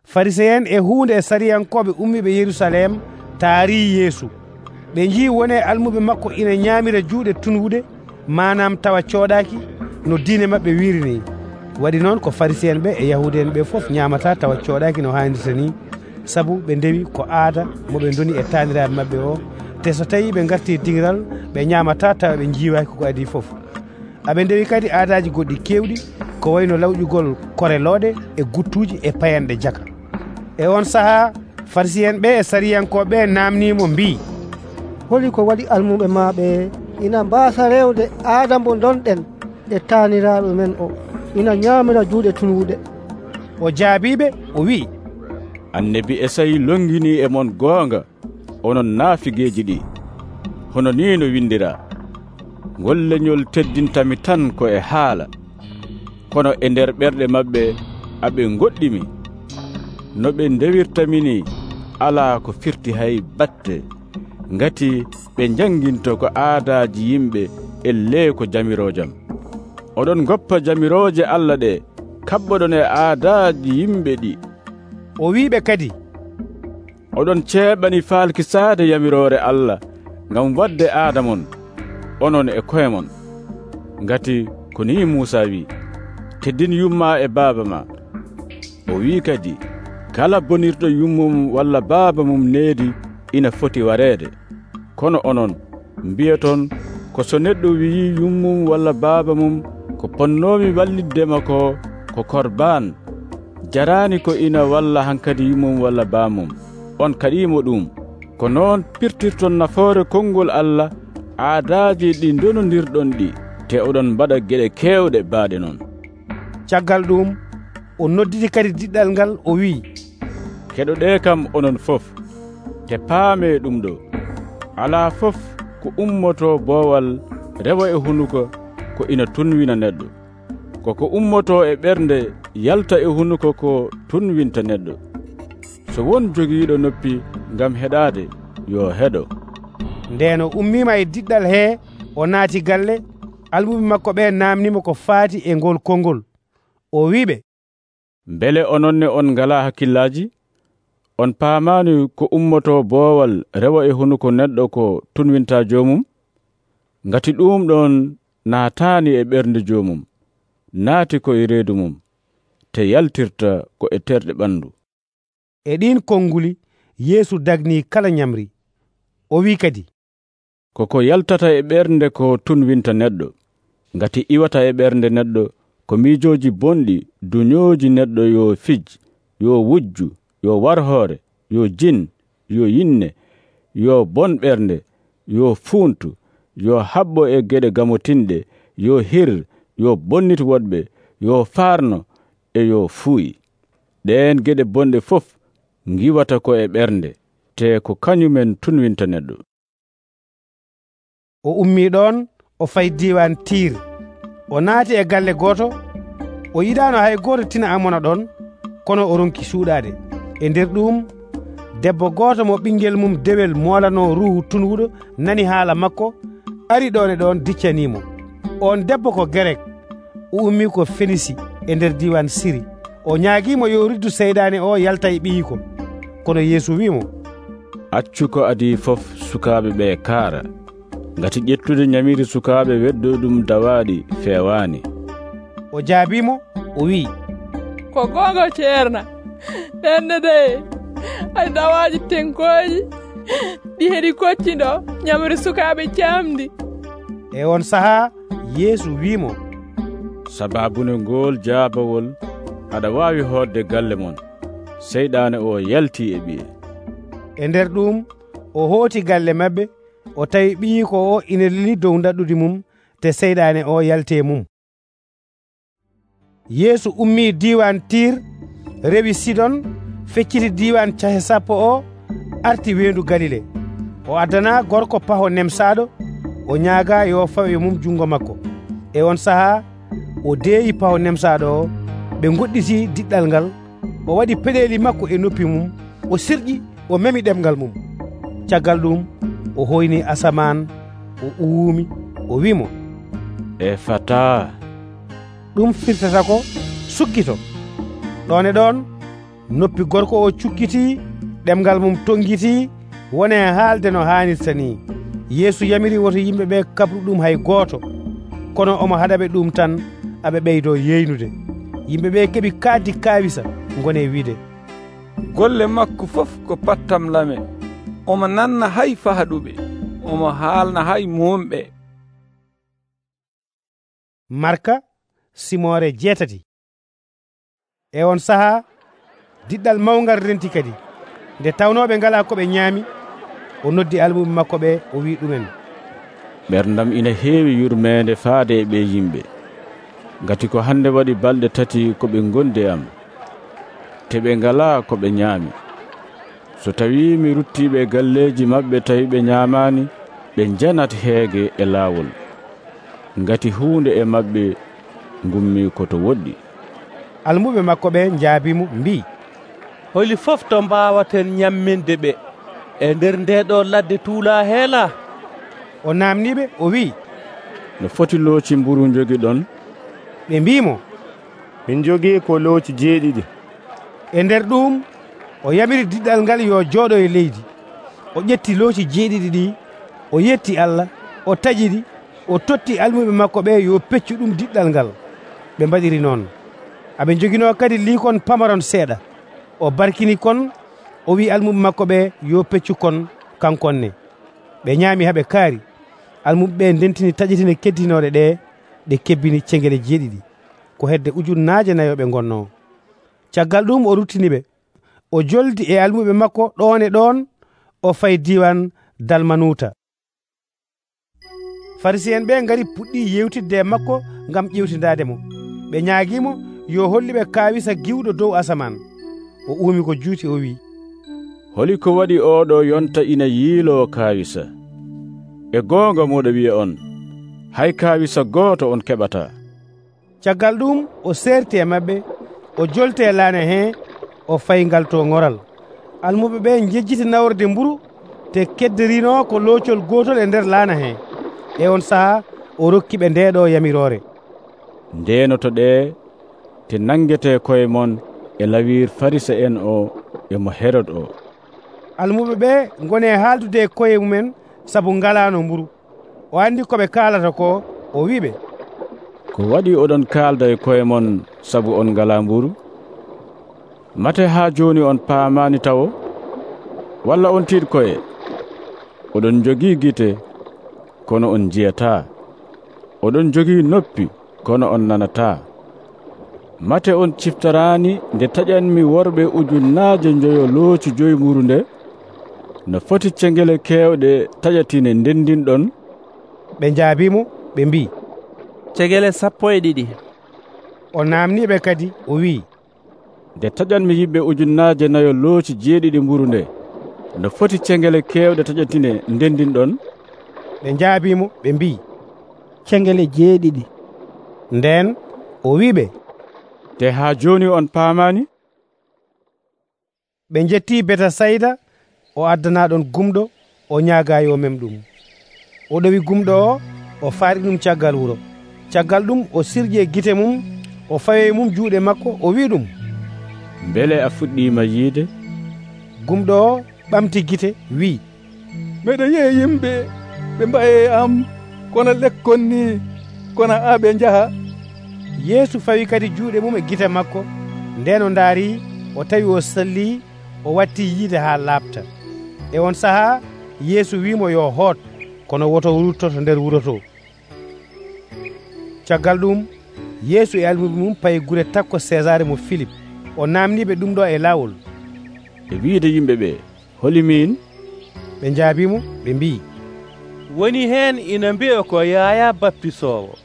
Fariséen e huunde e sariyankoɓe ummiɓe Yerusalem taari Yeesu. Ɓe njii wone almuɓe makko ina ñaamira juuɗe tunwude, manam tawa cooɗaki no diine maɓɓe wirini. waɗi noon ko Farisiyen ɓe e Yahude en ɓe fof ñaamata tawa cooɗaaki no haanirta ni, sabu ɓe ndewi ko aada mo ɓe ndoni e taaniraaɓe maɓɓe o, te so tawi ɓe garti dingiral ɓe ñaamata tawa ɓe jiiwaaki ko adi fof. aɓe ndewi kadi aadaji goɗɗi kewɗi ko wayno lawƴugol korelooɗe e guttuuji e payanɗe jaka. E on sahaa Farisiyen ɓe e Sariyankoɓe namnimo mbi, holi ko waɗi almuɓe maɓe ina mbaasa rewde aada mo donɗen e taaniraaɓe men o, ina ñaamira juuɗe tulwuɗe. O jaabiɓe o wi, Annabi Esayi longini e mon goonga onon naafigeeji ɗi, hono ni no windira: ngol leñol teddintami tan ko e haala, kono e nder ɓerɗe maɓɓe aɓe goɗɗimi. no ɓe ndewirtamini alaa ko firti hay batte, ngati ɓe janginto ko aadaaji yimɓe e ley ko jamiroojam. oɗon goppa jamirooje Allah ɗe kaɓɓoɗon e aadaaji yimɓe ɗi. O wiiɓe kadi, oɗon ceeɓani faalkisaade yamiroore Allah ngam waɗde aada mon onon e koye mon, ngati ko ni Muusa wi, teddin yumma e baaba ma. o wi kadi, kala bonirɗo yummum walla baaba mum needi ina foti wareede. kono onon mbiyaton ko so neɗɗo wi'i yummum walla baaba mum ko ponnoomi walliddema ko ko korban, jarani ko ina walla hankadi yummum walla baamum, on kaɗimo ɗum. ko noon pirtirton nafoore konngol Allah aadaaji ɗi donondirɗon ɗi, te oɗon mbaɗa geɗe keewɗe baaɗe noon. caggal ɗum o nodditi kadi diɗɗal ngal o wi, keɗoɗe kam onon fof, te paame ɗum ɗo: alaa fof ko ummoto boowal rewa e hunuko ko ina tunwina neɗɗo, koko ummoto e ɓernde yalta e hunuko ko tunwinta neɗɗo. so won jogiiɗo noppi ngam heɗaade, yo heɗo. Ndeen o ummiima e diɗɗal hee, o naati galle. almuɓe makko ɓe naamnimo ko faati e ngol konngol. o wiiɓe, mbele ononne on ngalaa hakkillaaji? on paamaani ko ummoto boowal rewa e hunuko neɗɗo ko tunwinta joomum? ngati ɗum ɗon naataani e ɓernde joomum, naati ko e reedu mum, te yaltirta ko e terɗe ɓanndu. e ɗin konnguli Yeesu dagnii kala ñamri. o wi kadi, koko yaltata e ɓernde ko tunwinta neɗɗo, ngati iwata e ɓernde neɗɗo ko miijooji bonɗi duñooji neɗɗo, yo fij, yo wujju, yo warhoore, yo jin, yo yinne, yo bon ɓernde, yo fuuntu, yo haɓɓo e geɗe gamotinɗe, yo hir, yo bonnit woɗɓe, yo faarno, e yo fuuyi. ɗeen geɗe bonɗe fof ngiwata ko e ɓernde, te ko kañumen tunwinta neɗɗo. o ummii ɗon o fayi diiwan Tiir. o naati e galle gooto. o yiɗaano hay gooto tina amona ɗon, kono o ronki suuɗaade. e nder ɗum debbo gooto mo ɓinngel mum dewel moolano ruuhu tunwuɗo nani haala makko, ari ɗon e ɗon diccaniimo. on debbo ko Gerek, o ummii ko Fenisi e nder diiwan Siri. o ñaagiimo yo riddu seyɗaane o yalta e ɓiyiko. kono Yeesu wiimo, accu ko adi fof sukaaɓe ɓe kaara, ngati ƴettude ñamiri sukaaɓe weddo ɗum dawaaɗi feewaani. o jaabiimo o wi'i, ko goonga ceerna, ɗenne de ay dawaaji tenkooji ɗi heɗi kocciɗo ñamri sukaaɓe camdi. e on sahaa Yeesu wiimo, sababune ngol jaabawol aɗa waawi hoodde galle mon. seyɗaane o yaltii e ɓiye. e nder ɗum o hooti galle maɓɓe. o tawi ɓiyi ko o ina lili dow daɗɗude mum, te seyɗaane o yaltee mum. Yeesu ummii diiwan Tiir, rewi Sidon, fecciti diiwan cahe sappo o, arti weendu Galile. o addana gorko paho nemsaaɗo, o ñaaga yo fawe mum jungo makko. e on sahaa o deeyi paho nemsaaɗo o. ɓe goɗɗiti diɗɗal ngal. o waɗi peɗeeli makko e noppi mum, o sirƴi, o memi ɗemgal mum. caggal ɗum o hoyni asaman, o uwumi, o wimo, e fata. ɗum firtata ko suggito. ɗon e ɗon noppi gorko o cukkiti, ɗemgal mum tongiti, wone haalde no haanirta ni. Yeesu yamiri woto yimɓe ɓe kabru ɗum hay gooto, kono omo haɗaɓe ɗum tan aɓe ɓeydo yeynude. yimɓe ɓe keɓi kaaddi kaawisa ngoni e wiide, golle makko fof ko pattam lame, omo nanna hay faaɗuɓe, omo haalna hay muumɓe. Marka simore jeetati. E on sahaa diɗɗal mawngal renti kadi. Nde tawnooɓe ngala ko ɓe ñaami, o noddi almuɓe makko ɓe o wi ɗumen, ɓerdam ina heewi yurmeende faade e ɓe yimɓe, ngati ko hande waɗi balɗe tati ko ɓe gondi e am, te ɓe ngalaa ko ɓe ñaami. So tawi mi ruttiɓe galleeji maɓɓe tawi ɓe ñaamaani, ɓe njanat heege e laawol, ngati huunde e maɓɓe ngummi koto woɗɗi. Almuɓe makko ɓe njaabimo mbi, holi fof to mbaawaten ñamminde ɓe e nder ndeɗo ladde tuulaa heela? O naamniɓe o wi, no foti looci mburu jogiɗon? ɓe mbimo, min jogii ko looci jeeɗiɗi. E nder ɗum o yamiri diɗɗal ngal yo jooɗo e leydi. O ƴetti looci jeeɗiɗi ɗi, o yetti Allah, o taƴiɗi, o totti almuɓe makko ɓe yo peccu ɗum diɗɗal ngal. Ɓe mbaɗiri noon. Aɓe joginoo kadi liikon pamaron seeɗa. O barkini kon, o wi almuɓe makko ɓe yo peccu kon kankonne. Ɓe ñaami haɓe kaari. Almuɓe ɓe ndentini taƴitine keddinoɗe ɗe ɗe kebbini cengele jeeɗiɗi, ko hedde ujunnaaje nayo ɓe ngonnoo. Caggal ɗum o ruttiniɓe, o joldi e almuɓe makko ɗon e ɗon, o fayi diwan Dalmanuta. Farisiyen ɓe ngari puɗɗi yewtidde e makko ngam ƴewtindaade mo. Ɓe ñaagiimo yo holliɓe kaawisa giwɗo dow asaman. O uumi ko juuti o wi, holi ko waɗi oɗo yonta ina yiiloo kaawisa? E goonga moɗo wiya on, hay kaawisa gooto on keɓata. Caggal ɗum o serti e maɓɓe, o jolti e laana hee, o fayi ngal to ŋoral. Almuɓe ɓe njejjiti nawrde mburu, te kedderino ko loocol gootol e nder laana hee. E on sahaa o rokki ɓe ndeeɗo yamiroore. Ndeenoto ɗe te nangete koye mon e lawir farisa en o e mo Herod o. Almuɓe ɓe ngone haaldude e koye mumen sabu ngalaano mburu. O andi ko ɓe kaalata ko, o wiɓe, ko waɗi oɗon kaalda e koye mon sabu on ngala mburu? Mate haa jooni on paamani tawo? Walla on tiiɗ koye? Oɗon jogii gite, kono on jiyataa. Oɗon jogii noppi, kono on nanataa. Mate on ciftoraani nde taƴanmi worɓe ujunnaaje njoyo looci joyi mburu nde? No foti cengele keewɗe taƴatine ndendinɗon? Ɓe njaabimo ɓe mbi, cegele sappo e ɗiɗi. O naamniɓe kadi o wi, nde taƴanmi yimɓe ujunnaaje nayo looci jeeɗiɗi mburu nde, no foti cengele keewɗe taƴatine ndendinɗon? Ɓe njaabimo ɓe mbi, cengele jeeɗiɗi. Nden o wiɓe, te haa jooni on paamani? Ɓe njetti Betasayda, o addanaɗon gumɗo, o ñaaga yo mem ɗum. O ɗowi gumɗo o, o faari ɗum caggal wuro. Caggal ɗum o sirƴi e gite mum, o fayoyi mum juuɗe makko, o wi ɗum, mbele a fuɗɗiima yiide? Gumɗo o ɓamti gite wi, meɗe yi'a yimɓe ɓe mbaye am kono lekkon ni, kono a ɓe njaha. Yeesu fawi kadi juuɗe mum e gite makko. Nden o ndaari, o tawi o salli, o watti yiide haa laaɓta. E on sahaa Yeesu wimo yo hoot, kono woto wurtoto nder wuro to. Caggal ɗum Yeesu e almuɓe mum payi gure takko Césare mo Philippe. O naamniɓe ɗum ɗo e laawol. E wiide yimɓe ɓe, holi min? Ɓe njaabimo ɓe mbi, woni heen ina mbiya ko Yaya baptisowo,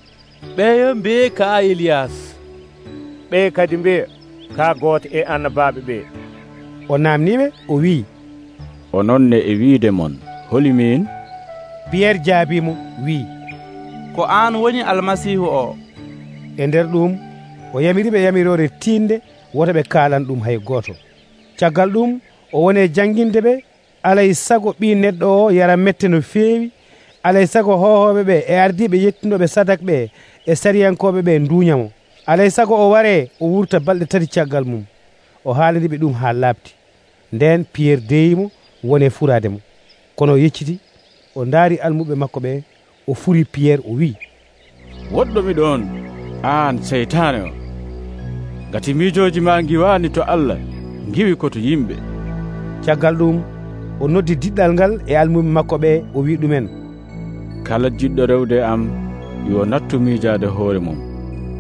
ɓeyo mbiye ka Eliyas, ɓe kadi mbiya ka gooto e annabaaɓe ɓe. O naamniɓe o wi, ononne e wiide mon, holi min? Pierre jaabimo wi, ko aan woni almasihu o. E nder ɗum o yamiriɓe yamirore tiinde, woto ɓe kaalan ɗum hay gooto. Caggal ɗum o woni jannginde ɓe, alay sago ɓi neɗɗo o yara mette no feewi, alay sago hohoɓe ɓe e ardiɓe yettinoɓe sadak ɓe e sariyankoɓe ɓe nduñamo. Alay sago o ware o wurta balɗe tati caggal mum. O haalaniɓe ɗum haa laaɓti. Nden Pierre deyimo woni e furaade mo. Kono o yecciti, o ndaari almuɓe makko ɓe, o furi Pierre o wi, woɗɗomi ɗon, aan seytaane o. ngati miijooji ma ngiwaani to Allah ngiwi ko to yimɓe. Caggal ɗum o noddi diɗɗal ngal e almuɓe makko ɓe o wi ɗumen, kala jiɗɗo rewde am yo nattu miijaade hoore mum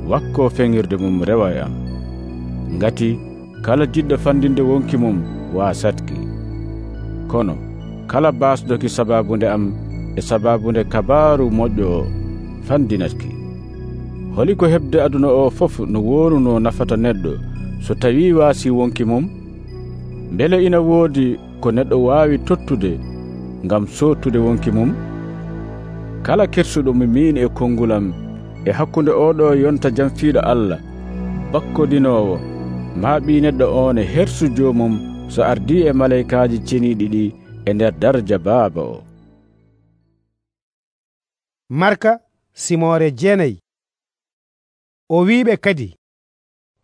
wakkoo feŋirde mum rewa e am. Ngati kala jiɗɗo fandinde wonki mum waasatki. Kono kala baasdoki sababunde am e sababunde kabaaru moƴƴo o fandinatki. Holi ko heɓde aduna o fof no wooruno nafata neɗɗo so tawii waasi wonki mum? Mbele ina woodi ko neɗɗo waawi tottude ngam sottude wonki mum? Kala kersuɗo mi min e kongulam e hakkunde oɗo yonta jamfiiɗo Allah bakkodinoowo maa ɓii neɗɗo on e hersu joomum so ardii e malaykaaji ceniiɗi ɗi e nder daraja Baaba o. Marka simore jeenayi. O wiiɓe kadi,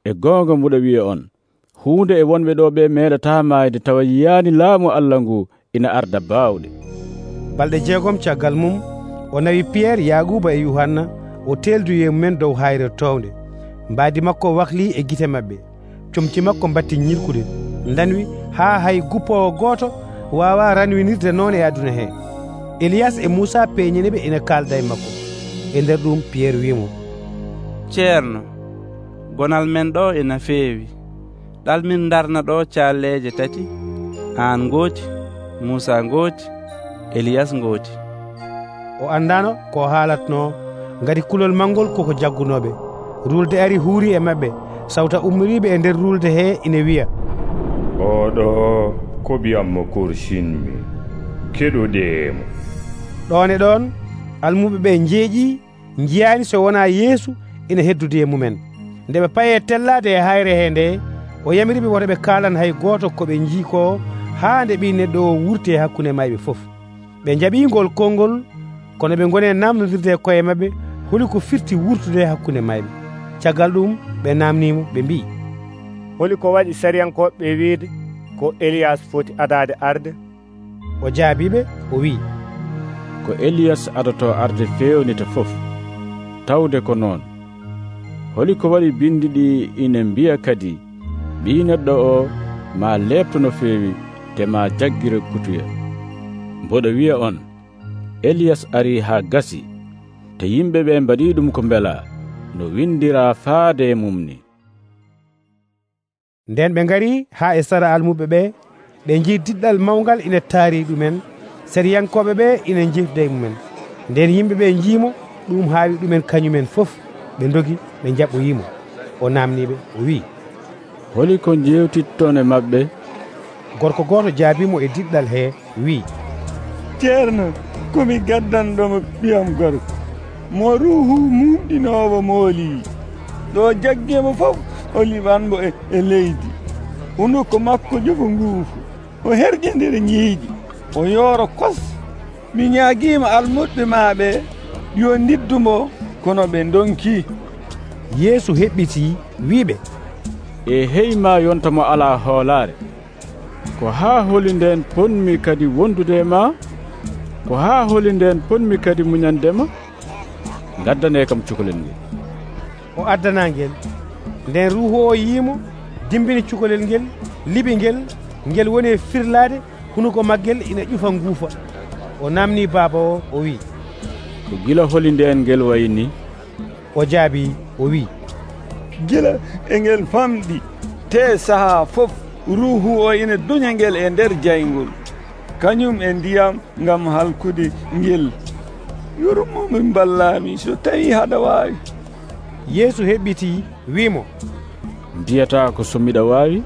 e goonga mbuɗa wiya on, huunde e wonɓe ɗo ɓe meeɗataa maayde tawa yiyaani laamu Allah ngu ina arda baawɗe. Balɗe jeegom caggal mum o nawi Piyerre, Yaguba e Yuhanna o telduyi e mumen dow hayre townde. Mbaadi makko wahlii e gite maɓɓe, comci makko mbatti ñirkude, ndanwi haa hay guppowo gooto waawa ranwinirde noon e aduna hee. Eliyas e Muusa peeñiniɓe ina kaalda e makko. E nder ɗum Piyerre wiimo, ceerno, gonal men ɗo ina feewi. ɗalmin darna ɗo calleje tati, an gooti, Muusa gooti, Eliyas gooti. O andano ko haalatno, ngati kulol mangol koko jaggunoɓe. Rulde ari huuri e maɓɓe, sawta ummoriɓe e nder rulde he ina wiya, oɗo ko biyammo korsinmi, keɗoɗeemo. ɗon e ɗon almuɓe ɓe njeeƴi jiyani so wona Yeesu ina heddude e mumen. Nde ɓe paye tellade e hayre he nde, o yamiriɓe woto ɓe kaalan hay goto ko ɓe jii ko haa nde ɓi neɗɗo o wurti e hakkunde mayɓe fof. Ɓe jaɓingol konngol, kono ɓe goni namdodirde koye maɓɓe holi ko firti wurtude hakkunde mayɓe. Caggal ɗum ɓe namnimo ɓe mbi, holi ko waɗi sariyankoɓe wiide ko Eliyas foti adade arde? O jaabiɓe o wi, ko Eliyas adoto arde fewnita fof. Tawde ko noon, holi ko waɗi bindi ɗi ina mbiya kadi ɓii neɗɗo o ma leepto no feewi te ma jaggire kutuya. Mboɗo wiya on, Eliyas ari haa gasi, te yimɓe ɓe mbaɗi ɗum ko mbela no windira faade e mum ni. Nden ɓe ngari haa e sara almuɓe ɓe, ɓe njii diɗɗal mawngal ina taari ɗumen, sariyankoɓe ɓe ina jifda e mumen. Nden yimɓe ɓe njiimo ɗum haawi ɗumen kañumen fof, ɓe ndogi ɓe jaɓɓoyimo. O namniɓe o wi, holi ko jewtitton e maɓɓe? Gorko gooto jaabimo e diɗɗal he wi, ceerno, komi gaddanɗomo ɓiyam gorko mo ruuhu mumɗinowo mooli. ɗo jaggemo fof o liɓanmo e, e leydi. hunuko makko jofo nguufu, o herƴe nder ñiiƴi, o yooro kos. mi ñaagiima almuɓe maaɓe yo ndiddumo, kono ɓe donki. Yeesu heɓɓiti wiiɓe, e heyma yonta mo alaa hoolaare, ko haa holi nden ponmi kadi wondude e ma, ko haa holi nden ponmi kadi muñandema. Gaddane kam cukalel ngel. O addana ngel. Nden ruuhu o yiimo, dimbini cukalel ngel, liɓi ngel, ngel woni e firlaade, hunuko maggel ina ƴufa nguufa. O namni baaba o o wi, ko gila holi nden ngel wayni? O jaabi o wi, gila e ngel famɗi, te sahaa fof ruuhu o ina duña ngel e nder jayngol, kañum e ndiyam ngam halkude ngel. yurmomi mballami so tawi haɗa waawi. Yeesu heɓɓiti wiimo, mbiyata ko so miɗa waawi,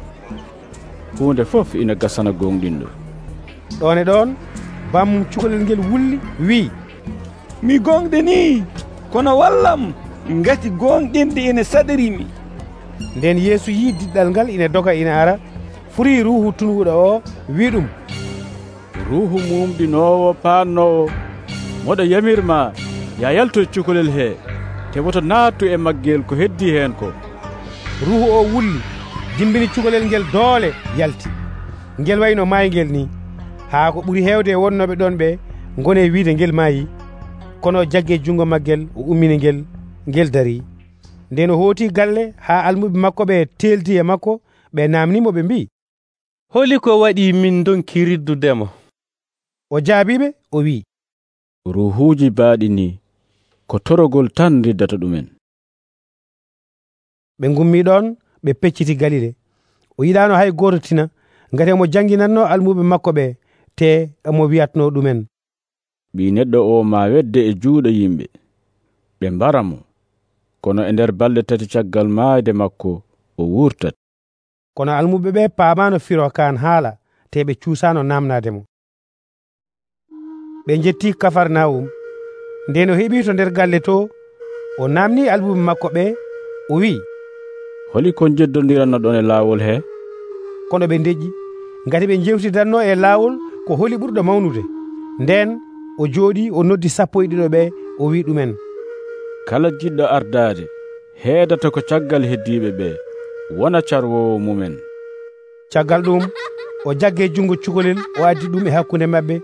hunde fof ina gasana gonɗinɗo. ɗon e ɗon bammum cukalel ngel wulli wi, mi gonɗe ni, kono wallam ngati gonɗinde ina saɗirimi. Nden Yeesu yi diɗɗal ngal ina doga ina ara, furi ruuhu tunguɗo o wi ɗum, ruuhu mumɗinowo paannowo, moɗo yamirma ya yalto cukalel he, te woto naattu e maggel ko heddi hen ko. Ruuhu o wulli, dimbini cukalel ngel doole yalti. Ngel wayno maayngel ni, haa ko ɓuri heewde e wonnoɓe ɗon ɓe ngone wiide ngel maayi, kono jagge jungo maggel o ummini ngel, ngel dari. nden o hooti galle haa almuɓe makko ɓe teelti e makko ɓe namnimo ɓe mbi, holi ko waɗi min donki riddudemo? o jaabiɓe o wi, ruuhuuji baaɗini ko torogol tan riddata ɗumen. ɓe ngummi ɗon ɓe pecciti Galile. o yiɗano hay goto tina ngati omo janginanno almuɓe makko ɓe te omo wiyatno ɗumen, ɓii neɗɗo o ma wedde e juuɗe yimɓe ɓe mbaramo, kono e nder balɗe tati caggal maayde makko o wurtat. kono almuɓe ɓe paamano firo kan haala te ɓe cuusano namnademo. ɓe jetti Kafarnawum. nden o heɓi to nder galle to, o namni almuɓe makko ɓe o wi, holi kon jeddodiranno ɗon e laawol he? kono ɓe deƴƴi, ngati ɓe jewtidanno e laawol ko holi ɓurɗo mawnude. nden o jooɗi o noddi sappo e ɗiɗo ɓe o wi ɗumen, kala jiɗɗo ardaade heedata ko caggal heddiiɓe ɓe wona carwowo mumen. caggal ɗum o jagge jungo cukalel o addi ɗum e hakkunde maɓɓe,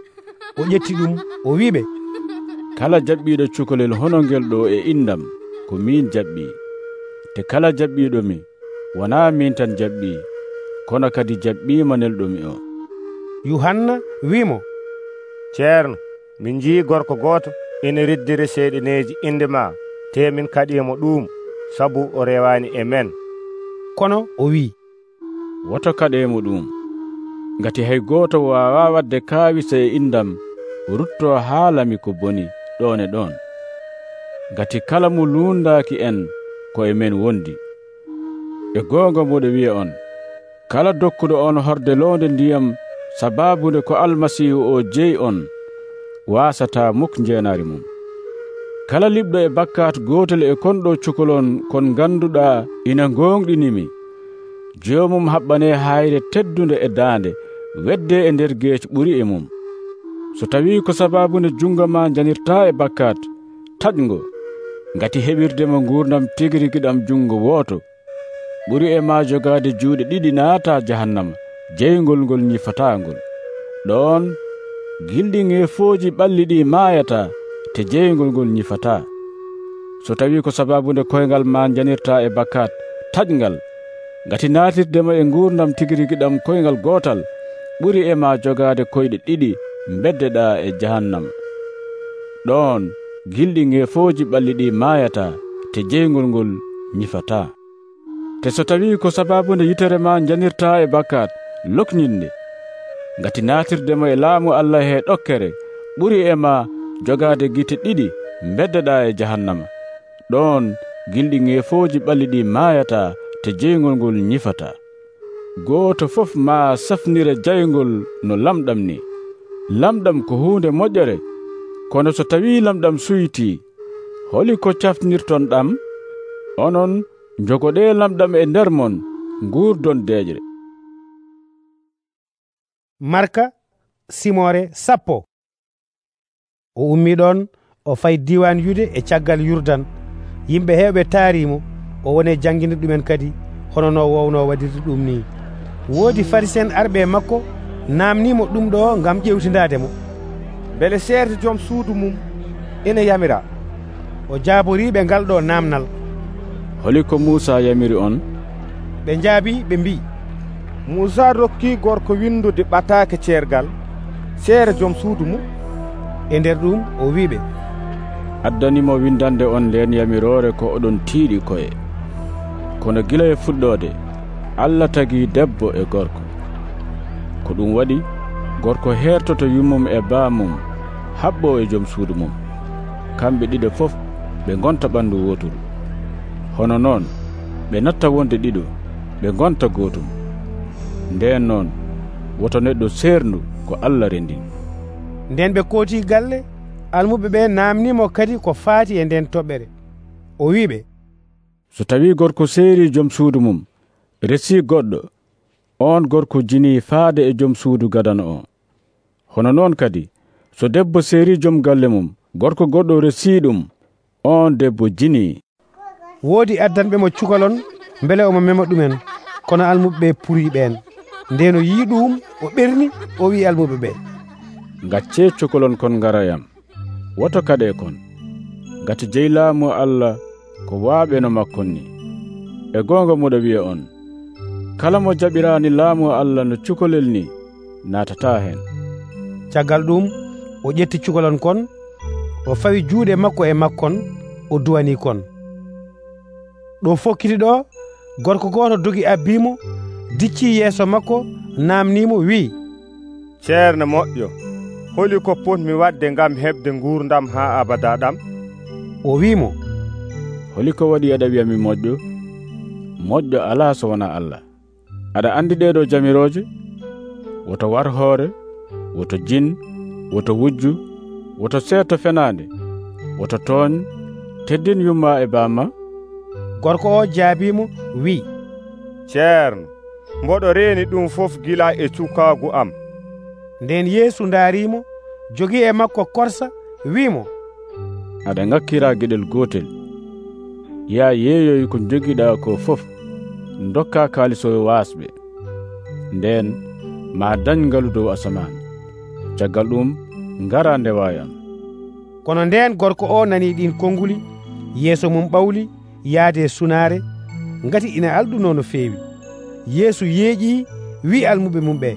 o ƴetti ɗum o wiɓe, kala jaɓɓiiɗo cukalel hono ngel ɗo e indam ko min jaɓɓii, te kala jaɓɓiiɗomi wonaa min tan jaɓɓii, kono kadi jaɓɓiima nelɗomi o. Yuhanna wiimo, ceerno, min njii gorko gooto ina riddiri seyɗineeji inde ma, te min kaɗiimo ɗum sabu o rewaani e men. kono o wi, woto kaɗeemo ɗum, ngati hay gooto waawaa wadde kaawisa e indam ruttoo haalami ko boni ɗon e ɗon, ngati kala mo luundaaki en ko e men wondi. e goonga moɗo wiya on, kala dokkuɗo on horde loonde ndiyam sabaabude ko almasiihu o jeyi on waasataa muk njeenaari mum. kala liɓɗo e bakkat gootel e konɗo cukalon kon ngannduɗaa ina ngoonɗinimi, joomum haɓɓanee hayre teddunde e daande wedde e nder geeci ɓuri e mum. so tawii ko sabaabude jungo ma janirtaa e bakkat, taƴngo, ngati heɓirdemo nguurdam tigi rigi ɗam jungo wooto ɓuri e ma jogaade juuɗe ɗiɗi naata jahannama jeyngol ngol ñifataangol. ɗon gilɗi ŋeefooji ɓalli ɗi maayata te jeyngol ngol ñifataa. so tawii ko sabaabude koyngal ma janirtaa e bakkat, taƴngal, ngati naatirdema e nguurdam tigi rigi ɗam koyngal gootal ɓuri e ma jogaade koyɗe ɗiɗi beddeɗaa e jahannama. ɗon gilɗi ŋeefooji ɓalli ɗi maayata te jeyngol ngol ñifataa. te so tawii ko sabaabude yitere ma janirtaa e bakkat, lokninde, ngati naatirdema e laamu Allah he ɗokkere ɓuri e ma jogaade gite ɗiɗi beddeɗaa e jahannama. ɗon gilɗi ŋeefooji ɓalli ɗi maayata te jeyngol ngol ñifataa. gooto fof ma safnira jayngol no lamɗam ni. lamɗam ko huunde moƴƴere, kono so tawii lamɗam suytii, holi ko caftinirton ɗam? onon jogoɗee lamɗam e nder mon, nguurdon deeƴre. Marka simore sappo. o ummi ɗon o fay diwan yude e caggal Yurdan. yimɓe heewɓe taarimo o woni janginde ɗumen kadi hono no wowno waɗirde ɗum ni. woodi farisen arɓe makko namnimo ɗum ɗo ngam ƴewtindademo, beele seerti joom suudu mum ina yamira. o jaaboriɓe ngal ɗo namnal. holi ko Muusa yamiri on? ɓe njaabi ɓe mbi, Muusa rokki gorko windude ɓataake ceergal seere joom suudu mum. e nder ɗum o wiɓe, addanimo windande on nden yamirore ko oɗon tiiɗi koye. kono gila e fuɗɗode Allah tagi debbo e gorko. ko ɗum waɗi gorko hertoto yummum e baamum haɓɓo e joom suudu mum, kamɓe ɗiɗo fof ɓe gonta ɓandu woturu. hono noon ɓe natta wonde ɗiɗo ɓe gonta gootum. nden noon woto neɗɗo seerndu ko Allah rendini. nden ɓe kooti galle, almuɓe ɓe namnimo kadi ko faati e nden toɓɓere. o wiɓe, so tawii gorko seeri joom suudu mum resi goɗɗo, on gorko jini faade e joom suudu gadano o. hono noon kadi so debbo seeri joom galle mum, gorko goɗɗo resi ɗum, on debbo jini. woodi addanɓe mo cukalon mbele omo mema ɗumen, kono almuɓe ɓe puri ɓen. nden o yii ɗum o ɓerni o wi almuɓe ɓe, gacce cukalon kon ngarayam, woto kaɗe kon, ngati jeylaamu Allah ko waaɓe no makkon ni. E goonga moɗo wi'a on, kala mo jaɓiraani laamu Allah no cukalel ni naatataa heen. Caggal ɗum o ƴetti cukalon kon, o fawi juuɗe makko e makkon, o duwani kon. Ɗo fokkiti ɗo, gorko gooto dogi abbimo, dicci yeeso makko, namnimo, wi'i, ceerno moƴƴo, holi ko potmi wadde ngam heɓde nguurdam haa abada ɗam? O wi'imo, holi ko waɗi aɗa wi'a mi moƴƴo? Moƴƴo alaa so wonaa Allah. Aɗa andi ɗeɗo jamirooje? Woto war hoore, woto jin, woto wujju, woto seeto fenaande, woto tooñ, teddin yumma e baama. Gorko o jaabimo, wi'i, ceerno, mboɗo reeni ɗum fof gila e cukaagu am. Nden Yeesu ndaarimo, jogii e makko korsa, wi'imo, aɗa ŋakkiraa geɗel gootel. Yaa yeeyoy ko jogiɗaa ko fof, ndokkaa kaalisoyo waasɓe. Nden maa dañ ngalu dow asamaan. Caggal ɗum ngaraa ndewaayi am. Kono ndeen gorko o nanii ɗin konnguli, yeeso mum ɓawli yaade sunaare, ngati ina alɗunoo no feewi. Yeesu yeeƴii, wi'i almuɓe mum ɓee,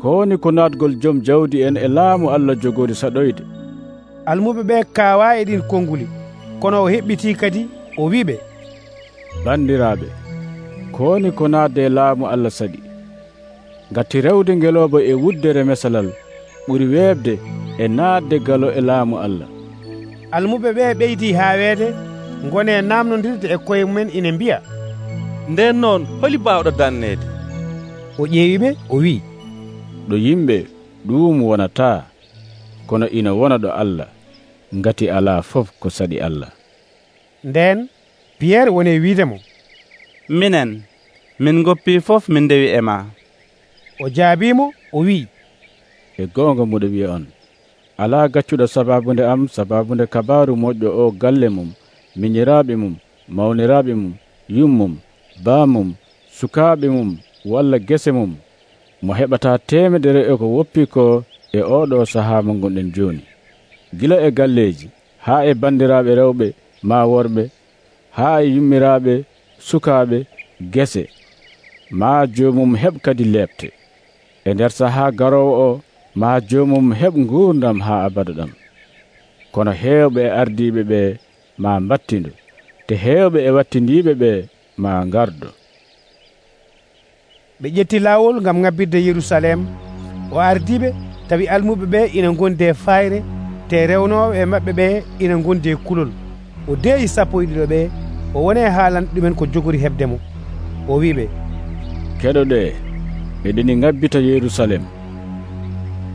ko woni ko naatgol joom jawdi en e laamu Allah jogoodi saɗoyde. Almuɓe ɓee kaawaa e ɗin konnguli, kono o heɓɓitii kadi o wi'iɓe, bandiraaɓe, ko woni ko naatde e laamu Allah saɗi. Ngati rewde ngelooba e wuddere mesalal ɓuri weebde e naatde galo e laamu Allah. Almuɓe ɓee ɓeydii haaweede, ngonee naamnondirde e koye mumen ina mbiya, nden noon holi baawɗo danneede? O ƴeewiɓe o wi'i, ɗo yimɓe ɗum wonataa, kono ina wona ɗo Allah, ngati alaa fof ko saɗi Allah. Nden Piyerre woni wiidemo, minen min goppii fof min ndewi e ma. O jaabiimo o wi'i, e goonga moɗo wi'a on, alaa gaccuɗo sababunde am sababunde kabaaru moƴƴo o galle mum, miñiraaɓe mum, mawniraaɓe mum, yummum, baamum, sukaaɓe mum, walla gese mum, mo heɓataa temedere e ko woppi ko e oɗo sahaa mo gonɗen jooni. Gila e galleeji, haa e bandiraaɓe rewɓe maa worɓe, haa e yummiraaɓe, sukaaɓe, gese, maa joomum heɓ kadi leɓte. E nder sahaa garoowo o, maa joomum heɓ nguurdam haa abada ɗam. Kono heewɓe e ardiiɓe ɓe maa mbattindo, te heewɓe e wattindiiɓe ɓe maa ngardo. Ɓe ƴetti laawol ngam ŋabbirde Yerusalem. O ardiiɓe tawi almuɓe ɓe ina ngondi e fayre, te rewnooɓe e maɓɓe ɓe ina ngondi e kulol. O deeyi sappo e ɗiɗo ɓe, o woni haalande ɗumen ko jogori heɓde mo. O wi'iɓe, keɗoɗe, eɗeni ŋabbita Yerusalem.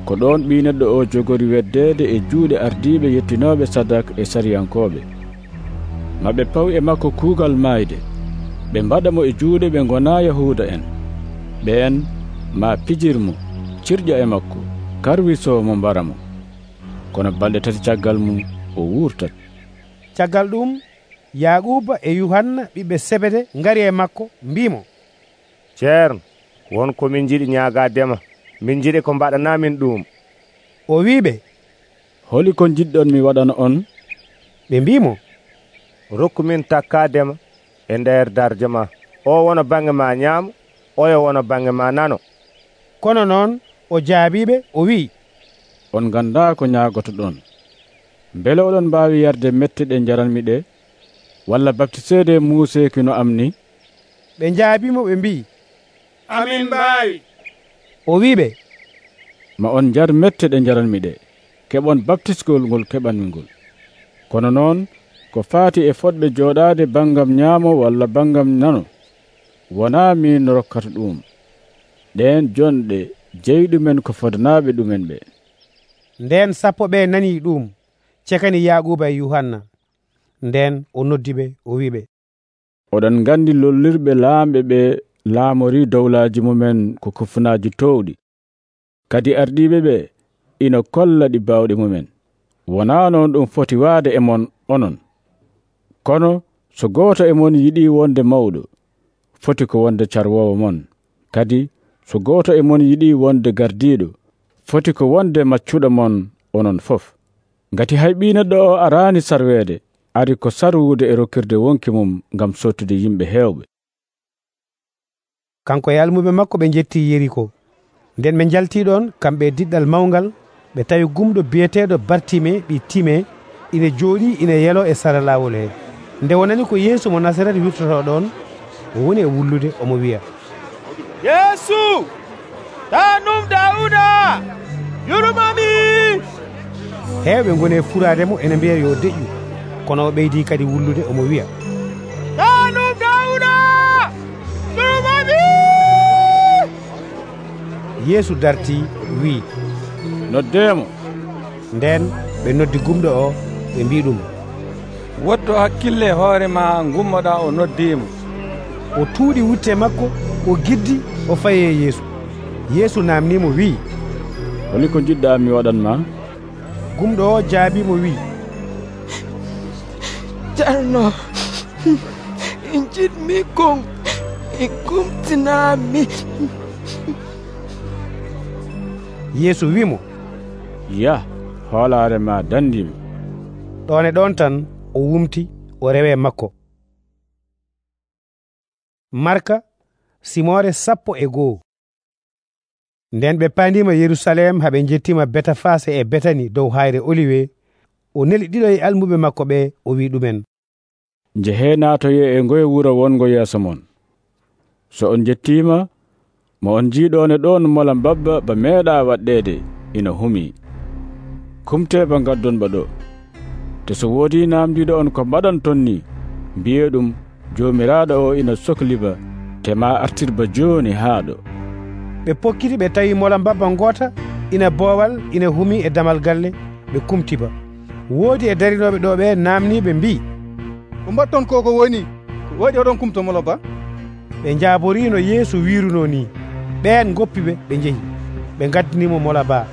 Ko ɗon ɓii neɗɗo o jogori weddeede e juuɗe ardiiɓe yettinooɓe sadak e sariyankooɓe. Maɓe paw e makko kuugal maayde, ɓe mbaɗa mo e juuɗe ɓe ngonaa Yahuuda en. Ɓeen maa pijirmo, cirƴa e makko, karwisoo mo mbara mo. Kono balɗe tati caggal mum o wuurtat. Caggal ɗum Yaaquba e Yuhanna ɓiɓɓe Sebede ngari e makko, mbimo, ceerno, wonko min jiɗi ñaagaadema, min jiɗi ko mbaɗanaa min ɗum. O wiiɓe, holi ko jiɗɗon mi waɗana on? Ɓe mbimo, rokku min takkaadema e nder darje ma. O wona bange ma ñaamo, oyo wona bange ma nano. Kono noon o jaabiɓe o wi'i, on gandaa ko ñaagoto ɗon. Mbele oɗon mbaawi yarde mette ɗe njaranmi ɗe, walla baptiseede muuseeki no am ni? Ɓe njaabimo ɓe mbi'i, amin mbaawi. O wi'iɓe, ma on njar mette ɗe njaranmi ɗe, keɓon baptisgol ngol keɓanmi ngol. Kono noon ko faati e fotɓe jooɗaade bangam ñaamo walla bangam nano, wonaa min rokkata ɗum. Ɗeen jonɗe jeyɗumen ko fodanaaɓe ɗumen ɓe. Nden sappo ɓe nanii ɗum, cekani Yaaquba e Yuhanna. Nden o noddi ɓe o wi'iɓe, oɗon nganndi lollirɓe laamɓe ɓe laamori dowlaaji mumen ko kofunaaji towɗi. Kadi ardiiɓe ɓe ina kolla ɗi baawɗe mumen. Wonaa noon ɗum foti waade e mon onon. Kono so gooto e mon yiɗii wonde mawɗo, foti ko wonde carwoowo mon. Kadi so gooto e mon yiɗii wonde gardiiɗo, foti ko wonde maccuɗo mon onon fof. Ngati hay ɓii neɗɗo o araani sarweede, ari ko sarwude e rokkirde wonki mum ngam sottude yimɓe heewɓe. Kanko e almuɓe makko ɓe jetti Yeriko. Nden ɓe jalti ɗon kamɓe e diɗɗal mawngal, ɓe tawi gumɗo biyeteeɗo Bartime ɓi Time ina jooɗi ina yelo e sara laawol he. Nde wonani ko Yeesu mo Nasaret wirtoto ɗon, o woni e wullude omo wiya, Yeesu, ɗanum Dawuda, yurmami. Heewɓe ngoni e furaademo ene mbiya yo deƴƴu, kono o ɓeydi kadi wullude omo wiya, ɗanum Dawuda, yurmami. Yeesu darti wii, noddeemo. Nden ɓe noddi gumɗo o, ɓe mbi ɗum, woddo hakkille hoore ma gummoɗa o noddiimo. O tuuɗi wutte makko, o giddi, o fayi e Yeesu. Yeesu namnimo wii, holi ko jiɗɗa mi waɗanma? Gumɗo o jaabimo wii, Ceerno, jiɗmi kon e kumtinami. Yeesu wimo, yah, hoolaare ma dandimi. ɗon e ɗon tan o wumti, o rewe makko. Marka simore sappo e goo. Nden ɓe pandima Yerusalem haɓe jettima Betafase e Betani dow hayre Oliwe. O neli ɗiɗo e almuɓe makko ɓe, o wi ɗumen, njehe naatoye e ngoye wuro wongo yeeso mon. So on jettima, mo on jiiɗone ɗon mola mbabba ba meeɗa waɗɗede ina humi. Kumte ba gaddon ba ɗo. Te so woodi namdiɗo on ko mbaɗan ton ni, mbiye ɗum jomiraɗo o ina sohliba, te ma artirba joni haa ɗo. Ɓe pokkiti ɓe tawi mola mbabba ngota ina boowal ina humi e damal galle, ɓe kumtiba. Woodi e darinoɓe ɗo ɓe namni ɓe mbi, ko mbatton ko ko woni ko waɗi oɗon kumto mola ba? Ɓe jaaborino Yeesu wiruno ni. Ɓen goppiɓe ɓe jehi, ɓe gaddinimo mola ba.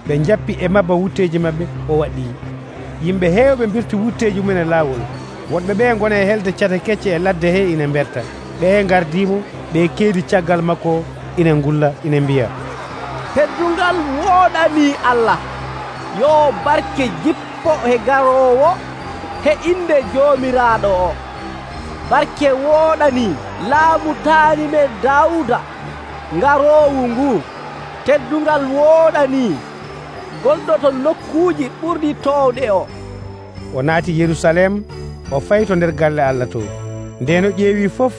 Ɓe jappi e mabba wutteji mabɓe, o waɗɗi. Yimɓe heewɓe mbirti wutteji mumen e laawol. Wonɓe ɓe gona e helde cata kecce e ladde he ina berta. Ɓe gardimo, ɓe keedi caggal makko, ina ngulla, ina mbiya, teddungal wooɗani Allah, yo barke jippo he garowo he inde jomiraɗo o. Barke wooɗani laamu taanime Dawuda ngarowu ngu. Teddungal wooɗani gonɗo to nokkuuji ɓurɗi towɗe o. O naati Yerusalem, o fayi to nder galle Allah to. Ndeno ƴeewi fof,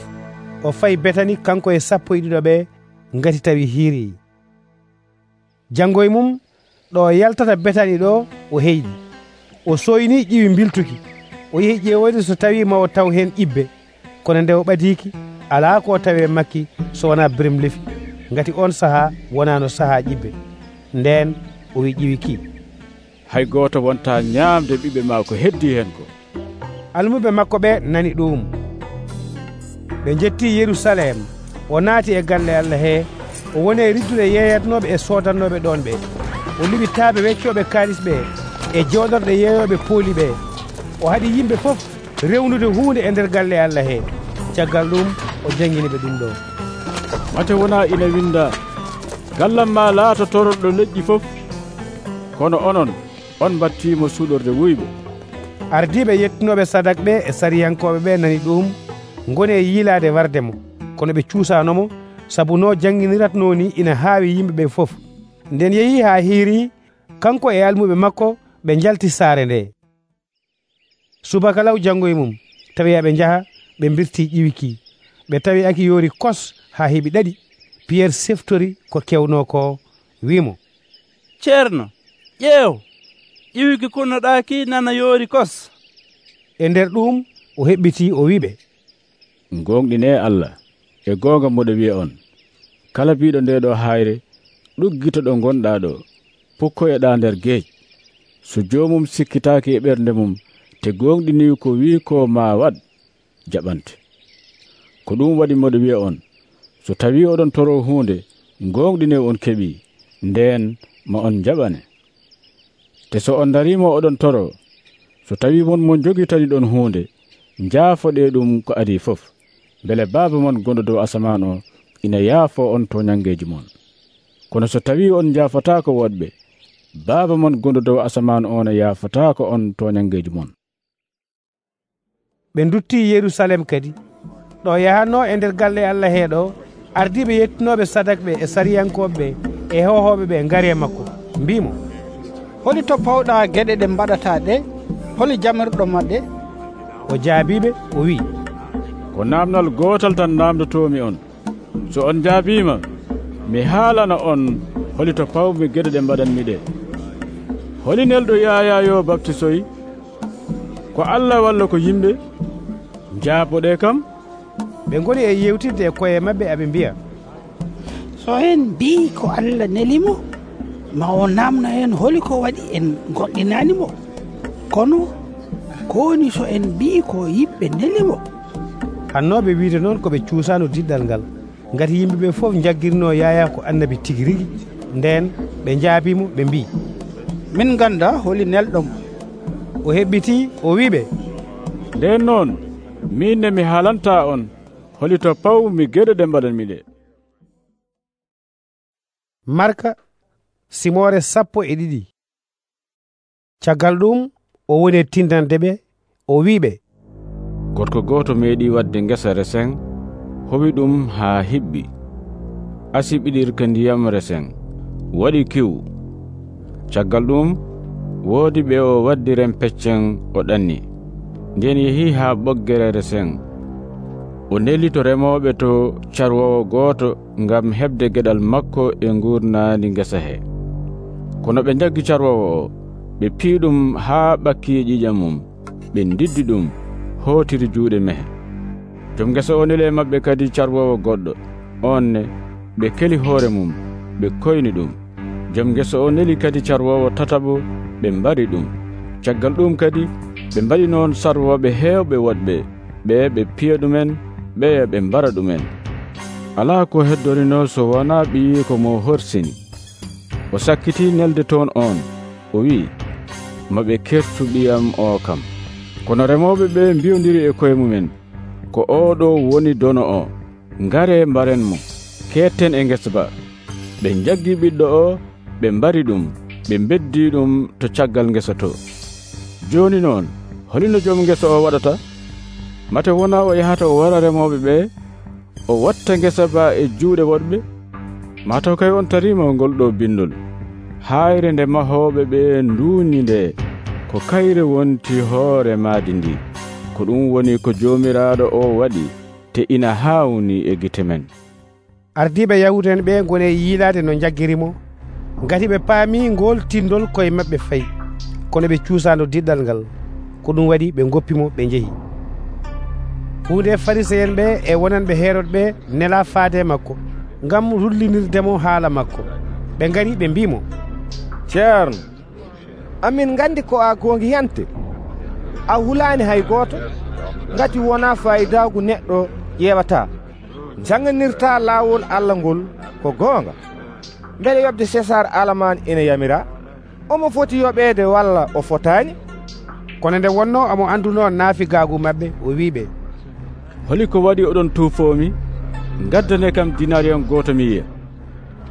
o fayi Betani kanko e sappo e ɗiɗo ɓe, ngati tawi hiiri. Jangoye mum ɗo yaltata Betani ɗo, o heyɗi. O soyni ƴiwi mbiltuki. O yehi ƴeewoyde so tawi ma o taw hen ƴibbe. Kono nde o ɓadiki, alaa ko tawe makki so wona berem lefi, ngati on sahaa wonano sahaa ƴibbe. Nden o wi ƴiwi ki, hay goto wonta ñaamde ɓiɓɓe ma ko heddi hen ko. Almuɓe makko ɓe nani ɗum. Ɓe jetti Yerusalem, o naati e galle Allah he, o woni e riddude yeyatnoɓe e sodannoɓe ɗon ɓe. O liɓi taaɓe weccoɓe kaalis ɓe e jooɗorɗe yeeyoɓe pooli ɓe. O haɗi yimɓe fof rewnude hunde e nder galle Allah he. Caggal ɗum o jangini ɓe ɗum ɗo. Mate wona ina winda, gallam ma laato tororɗo leƴƴi fof, kono onon on battimo suɗorde wuyɓe. Ardiɓe yettunoɓe sadak ɓe e sariyankoɓe ɓe nani ɗum, ngoni e yiilade wardemo, kono ɓe cuusanomo, sabu no janginiratno ni ina haawi yimɓeɓe fof. Nden yeehi ha hiiri, kanko e almuɓe makko ɓe jalti saare nde. Subaka law jangoye mum, tawi aɓe njaha, ɓe mbirti ƴiwiki. Ɓe tawi aki yoori kos ha heeɓi ɗaɗi. Pierre seftori ko kewno ko, wimo, ceerno, ƴeew, ƴiwiki kunnoɗaki nana yoori kos. E nder ɗum o heɓɓiti o wiɓe, gonɗine Allah, e gonga moɗo wiya on, kala biɗo nde ɗo hayre ɗuggito ɗo gonɗa ɗo, pukkoyoɗa nder geej. So jomum sikkitaki e ɓernde mum, te gonɗini ko wi ko ma waɗ, jaɓante. Ko ɗum waɗi moɗo wiya on, so tawi oɗon toro hunde, gonɗine on keɓi, nden ma on jaɓane. Te so on darimo oɗon toro, so tawi mon mon jogitani ɗon hunde, jaafoɗe ɗum ko adi fof, bele baaba mon gonɗo dow asaman o ina yaafo on to ñangeji mon. Kono so tawi on jaafatako woɗɓe, baaba mon gonɗo dow asaman o ne yaafatako on to ñangeji mon. ɓe dutti Yerusalem kadi ɗo yahanno e nder galle Allah heeɗo ardiɓe yettinoɓe sadakɓe e sariyankoɓe e hohoɓe ɓe ngari e makko mbimo, holi to pawɗa geɗe ɗe mbaɗata ɗe? holi jamirɗo maɗɗe? o jaabiɓe o wi, ko namdal gotal tan namdotomi on. So on jaabima mi haalana on holi to pawmi geɗe ɗe mbaɗanmi ɗe. holi nelɗo Yaya yo baptisoyi? Ko Allah walla ko yimɓe? Jaaboɗe kam? ɓe goni e yewtidde e koye mabɓe aɓe mbiya, so en mbi ko Allah nelimo, ma o namno en holi ko waɗi en goɗɗinanimo. kono ko woni so en mbi ko yimɓe nelimo? hannoɓe wiide noon koɓe cuusano diɗɗal ngal, ngati yimɓeɓe fof jaggirno Yaya ko annabi tigi rigi. Nden ɓe jaabimo ɓe mbi, min ganda holi nelɗomo. o heɓɓiti o wiɓe, nden noon min mi haalanta on holi to pawmi geɗe ɗe mbaɗanmi ɗe. Marka simore sappo e ɗiɗi. Caggal ɗum o woni e tindande ɓe o wiɓe, gorko goto meeɗi wadde ngesa resen, howi ɗum haa hiɓɓi, asi ɓiɗirka ndiyam resen, waɗi kiw. Caggal ɗum woodi ɓe o waddi rempeccen o ɗanni, nden yehi haa ɓoggere resen. O neli to remoɓe to carwowo gooto ngam heɓde geɗal makko e ngurnandi ngesa he. Kono ɓe jaggi carwowo o, ɓe pii ɗum haa ɓakki ƴiƴam mum, ɓe ndiddi ɗum hootiri juuɗe mehe. Joom ngesa o neli e maɓɓe kadi carwowo goɗɗo, on ne ɓe keli hoore mum, ɓe koyni ɗum. Joom ngesa o neli kadi carwowo tataɓo, ɓe mbari ɗum. Caggal ɗum kadi ɓe mbaɗi noon sarwoɓe heewɓe woɗɓe, ɓe ɓe piya ɗumen, ɓe ɓe mbara ɗumen. Alaa ko heddorino so wonaa ɓiyi ko mo horsini. O sakkiti nelde toon on, o wi'i, maɓe kertu ɓiyam o kam. Kono remoɓe ɓe mbiyondiri e koye mumen, ko oɗo woni dono o, ngare mbaren mo, ketten e ngesa ba. Ɓe jaggi ɓiɗɗo o, ɓe mbari ɗum, ɓe beddi ɗum to caggal ngesa to. Joni noon holino joom ngesa o waɗata? Mate wona o yahata o wara remoɓe ɓe, o watta ngesa ba e juuɗe woɗɓe? Mataw kay on tarima ngol ɗo bindol, hayre nde mahoɓe ɓe nduuni nde ko kayre wonti hoore maadi ndi. Ko ɗum woni ko jomiraɗo o waɗi, te ina hawni e gite men. Ardiɓe Yahuda en ɓe goni e yiilade no jaggirimo, ngati ɓe paami ngol tindol koye maɓɓe fayi, kono ɓe cuusano diɗɗal ngal. Ko ɗum waɗi ɓe goppimo ɓe jeehi. Hunde Fariséen ɓe e wonanɓe Hérode ɓe nela faade makko ngam rullinirdemo haala makko. Ɓe ngari ɓe mbimo, ceerno, amin gandi ko a gongi hente, a hulani hay goto, ngati wona fayidagu neɗɗo ƴewata. Janganirta laawol Allah ngol ko goonga. Mbele yobde César alaman ina yamira, omo foti yoɓede walla o fotani? Kono nde wonno omo anduno naafigaagu maɓɓe, o wiɓe, holi ko waɗi oɗon tuufomi? Gaddane kam dinariyon goto mi yiya.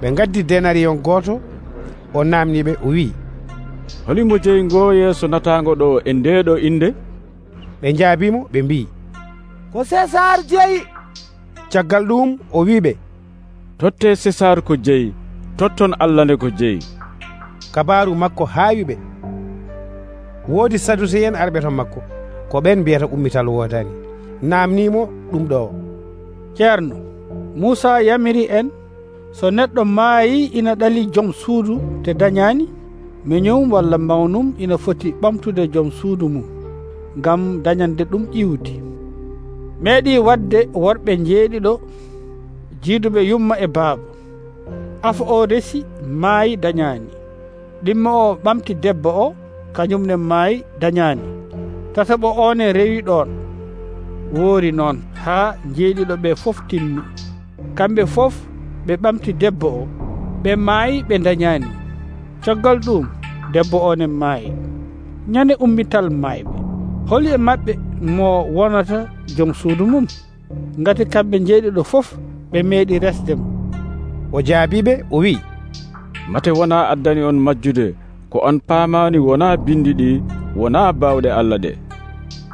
Ɓe gaddi denariyon goto, o namniɓe o wi, holimo jeyi ngo yeeso natago ɗo e ndeɗo inde? Ɓe jaabimo ɓe mbi, ko César jeyi. Caggal ɗum o wiɓe, totte César ko jeyi, totton Allah nde ko jeyi. Kabaru makko haawiɓe. Woodi Saduseyen arɓe to makko, ko ɓen mbiyata ummital woodani. Namnimo ɗum ɗo, ceerno, Musa yamiri en, so neɗɗo maayi ina ɗali joom suudu te dañani, miñum walla mawnum ina foti ɓamtude joom suudu mum ngam dañande ɗum ƴiwdi. Meeɗi wadde worɓe jeeɗiɗo jiiduɓe yumma e baaba. Afa o resi maayi dañani, ɗimmo o ɓamti debbo o, kañumne maayi dañani. Tataɓo one rewi ɗon, woori noon haa jeeɗiɗo ɓe fof timmi. Kamɓe fof ɓe ɓamti debbo o, ɓe maayi ɓe dañani. Caggal ɗum debbo one maayi. Ñande ummital maayɓe, holi e maɓɓe mo wonata joom suudu mum, ngati kamɓe jeeɗiɗo fof ɓe meeɗi resdemo. O jaabiɓe o wi, mate wona addani on majjude ko on paamani wona bindi ɗi, wona bawɗe Allah ɗe.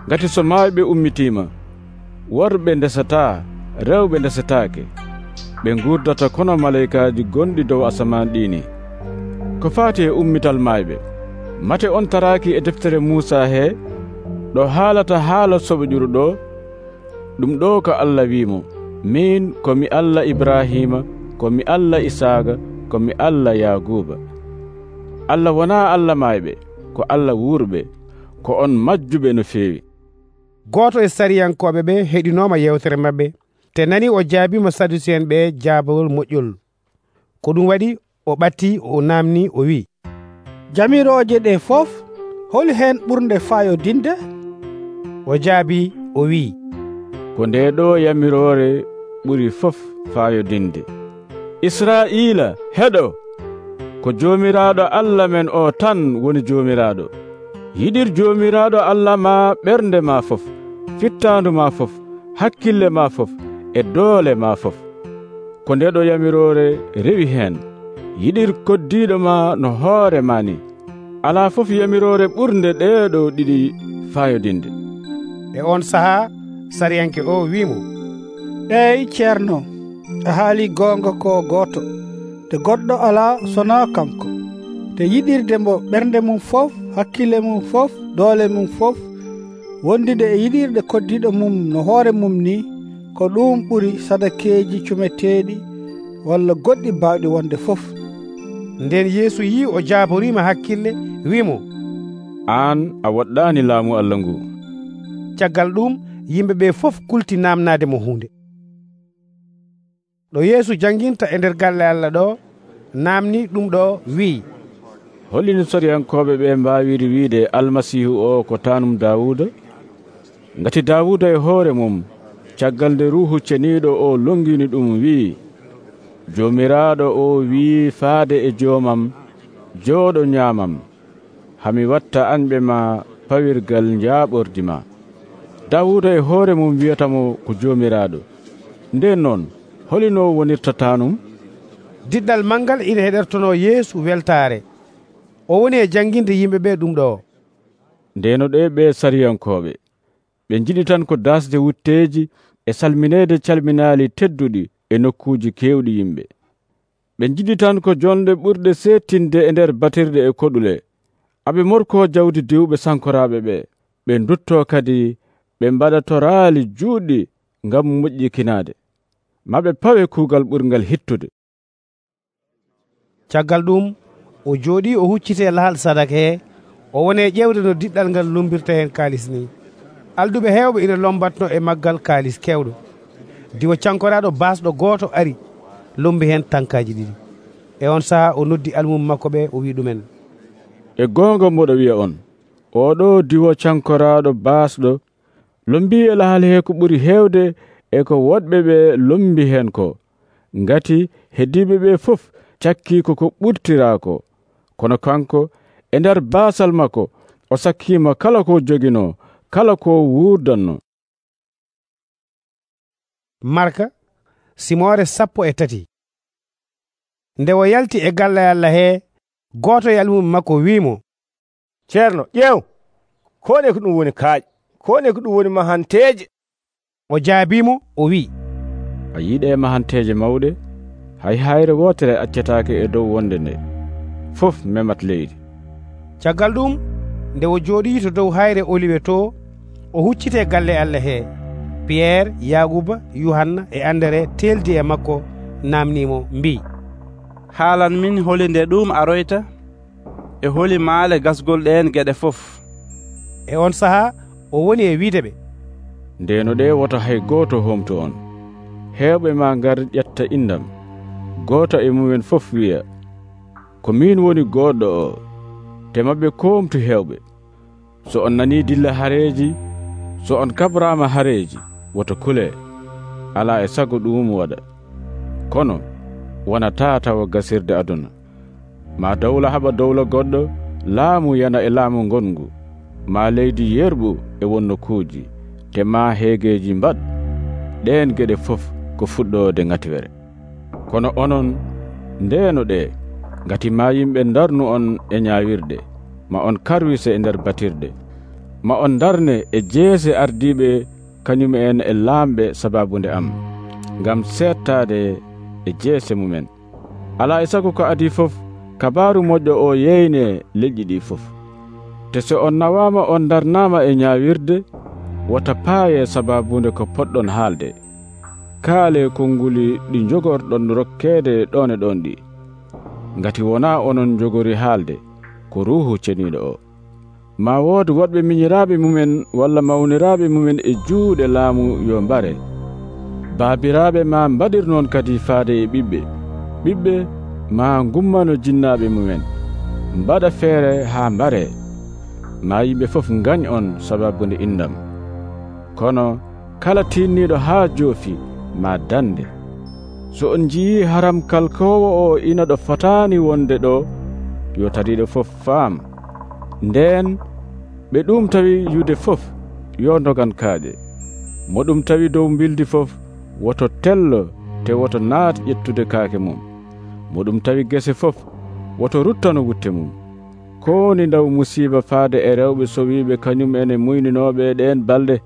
ngati so maayɓe ummitima worɓe ndesataa rewɓe ndesetaake ɓe gurdata kono malaykaaji gonɗi dow asaman ɗini. Ko faati e ummital maayɓe, mate on taraaki e deftere Muusa he ɗo haalata haala soɓoƴuru ɗo? Ɗum ɗo ko Allah wiimo, min komi Allah Ibrahima, komi Allah Isaaga, komi Allah Yaguba. Allah wonaa Allah maayɓe, ko Allah wuurɓe, ko on majjuɓe no feewi. Gooto e sariyankoɓe ɓe heɗinoma yewtere maɓɓe, te nani o jaabima Sadusiyen ɓe jaabawol moƴƴol. Ko ɗum waɗi o ɓatti o namni o wi, jamiroje ɗe fof holi hen ɓurde fayodinde? O jaabi o wi, ko nde ɗo yamirore ɓuri fof fayodinde. Israila heɗo, ko jomiraɗo Allah men o tan woni jomiraɗo. Yiɗir jomiraɗo Allah ma ɓernde ma fof, fittandu ma fof, hakkille ma fof, e doole ma fof. Ko nde ɗo yamirore rewi hen. Yiɗir koddiɗo ma no hoore ma ni. Ala fof yamirore ɓurde ɗeɗo ɗiɗi fayodinde. E on saha sariyanke o wimo, ey ceerno, a haali gonga ko goto, te goɗɗo ala sona kanko, te yiɗirde mbo ɓernde mum fof, hakkille mum fof, doole mum fof, wondide e yiɗirde koddiɗo mum no hoore mum ni, ko ɗum ɓuri sadakeji cumeteɗi walla goɗɗi bawɗi wonde fof. Nden Yeesu yi o jaaborima hakkille wimo, an a waɗɗani laamu Allah ngu. Caggal ɗum yimɓeɓe fof kulti namnade mo hunde. Ɗo Yeesu janginta e nder galle Allah ɗo namni ɗum ɗo wi, hollini soriyankoɓe ɓe mbawiri wiide almasihu o ko tanum Dawuda? Ngati Dawuda e hoore mum caggal nde ruhu ceniɗo o longini ɗum wi, jomiraɗo o wi faade e joomam, jooɗo ñaamam, hami watta anɓe ma pawirgal jaaɓordi ma. Dawuda e hoore mum wiyatamo ko jomiraɗo. Nden noon holino wonirta tanum? Diɗɗal mangal ina heɗertono Yeesu weltare. O woni e janginde yimɓe ɓe ɗum ɗo. Ndeno ɗe ɓe sariyankoɓe ɓe jiɗi tan ko dasde wutteji e salminede calminali tedduɗi e nokkuji kewɗi yimɓe. Ɓe jiɗi tan ko jonde ɓurde settinde e nder batirde e koɗule, aɓe morko jawdi diwɓe sankoraɓe ɓe. Ɓe dutto kadi ɓe mbaɗa toraali juuɗɗi ngam moƴƴikinade, maɓe pawe kuugal ɓurgal hittude. Caggal ɗum o jooɗi o huccite lahal sadaka he, o woni e ƴewde no diɗɗal ngal lombirta hen kaalis ni. Alduɓe hewɓe ina lombatno e maggal kaalis kewɗo. Diwo cankoraɗo basɗo gooto ari lombi hen tankaji ɗiɗi. E on saha o noddi almum makko ɓe o wi ɗumen, e gonga mboɗo wiya on, oɗo diwo cankoraɗo basɗo lombi e lahal he ko ɓuri hewde e ko woɗɓe ɓe lombi hen ko, ngati heddiɓe ɓe fof cakki ko ko ɓurtirako, kono kanko e nder basal makko o sakkima kala ko jogino, kala ko wurdanno. Marka simore sappo e tati. Nde o yalti e galle Allah he, goto e almum makko wimo, ceerno ƴeew, kone ko ɗum woni kaaƴ, kone ko ɗum woni mahanteje. O jaabimo o wi, a yiɗe mahanteje mawɗe, hay hayre wotere accetake e dow wonde nde, fof memat leydi. Caggal ɗum nde o jooɗi to dow hayre oliwe to, o huccite galle Allah he. Pierre, Yaguba, Yohanna e Andere teldi e makko namnimo mbi, haalan min holi nde ɗum aroyta e holi maale gasgol ɗen geɗe fof. E on saha o woni e wiideɓe, ndeno ɗe woto hay goto homto on. Hewɓe ma ngar ƴetta indam, goto e mumen fof wiya, ko min woni goɗɗo o, te mabɓe komtu hewɓe. So on nani dilla hareji, so on kabrama hareji, woto kule, ala e sago ɗum waɗa. Kono wonata tawa gasirde aduna. Ma dawla haɓa dawla goɗɗo, laamu yana e laamu ngongu, ma leydi yerɓu e wonnokuuji, te ma heegeji mbaɗ. Ɗen geɗe fof ko fuɗɗode ngatiwere. Kono onon ndeno ɗe, ngati ma yimɓe darnu on e ñawirde, ma on karwise e nder batirde. ma on darne e jeese ardiiɓe kañum en e laamɓe sababunde am, ngam seettaade e jeese mumen. Alaa e sago ko adii fof, kabaaru moƴƴo o yeyne leƴƴi ɗi fof. Te so on nawaama on darnaama e ñaawirde, wota paaye sababunde ko poɗɗon haalde. Kaale konnguli ɗi jogorɗon rokkeede ɗon e ɗon ɗi, ngati wonaa onon jogori haalde ko Ruuhu Ceniiɗo o. Ma wood woɗɓe miñiraaɓe mumen walla mawniraaɓe mumen e juuɗe laamu yo mbare. Baabiraaɓe ma mbaɗir noon kadi faade e ɓiɓɓe. Ɓiɓɓe ma ngummano jinnaaɓe mumen, mbaɗa feere haa mbare. Ma yimɓe fof ngañ on sababunde indam. Kono kala tinniiɗo haa joofi ma dande. So on njiyii haram kalkoowo o ina ɗo fotaani wonde ɗo, yo tariiɗo fof faam. Ndeen ɓe ɗum tawi yude fof yo ndogan kaaƴe. Mo ɗum tawi dow mbildi fof woto tello te woto naat ƴettude kaake mum. Mo ɗum tawi gese fof woto ruttano wutte mum. Kooni ndaw musiiba faade e rewɓe sowiiɓe kañum ene muyninooɓe ɗeen balɗe.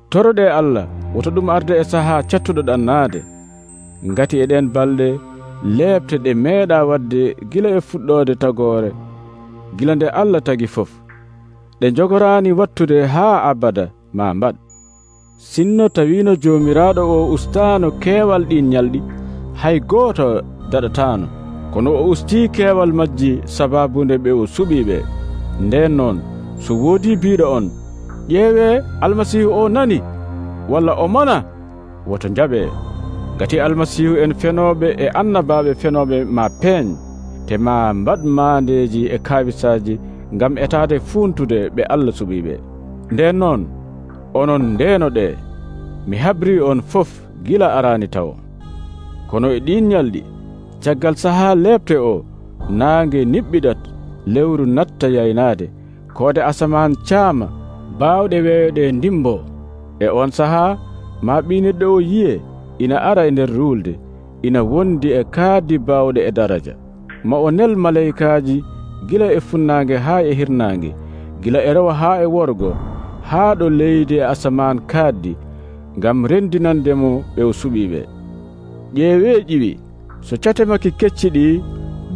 Toroɗe Allah woto ɗum arde e sahaa cattuɗo ɗannaade, ngati e ɗen balɗe leeɓte ɗe meeɗa wadde gila e fuɗɗoode tagoore, gila nde Allah tagi fof, ɗe jogoraani wattude haa abada ma mbaɗ. Sinno tawiino Joomiraaɗo o ustaano keewal ɗin ñalɗi, hay gooto daɗataano, kono o ustii keewal majji sababunde ɓe o suɓiiɓe. Nden noon so woodii biiɗo on, ƴeewee Almasiihu o nani, walla o mona, woto njaɓee. Gati Almasiihu en fenooɓe e annabaaɓe fenooɓe ma peeñ, te ma mbaɗ maandeeji e kaawisaaji ngam etaade fuuntude ɓe Allah suɓiiɓe. Nden noon onon ndeenoɗe, mi habrii on fof gila araani taw. Kono e ɗin ñalɗi, caggal sahaa leeɓte o, naange niɓɓiɗat, lewru natta yaynaade, koode asamaan caama, baawɗe weeyoɗe ndimbo. E on sahaa ma ɓii neɗɗo o yiye ina ara e nder ruulde, ina wondi e kaaddi baawɗe e daraja. Ma o nel malaykaaji gila e funnaange haa e hirnaange, gila e rewa haa e worgo, haa ɗo leydi e asamaan kaaddi, ngam rendinandemo ɓe o suɓiiɓe. Ƴeewee ƴiwi, so cate makki kecci ɗi,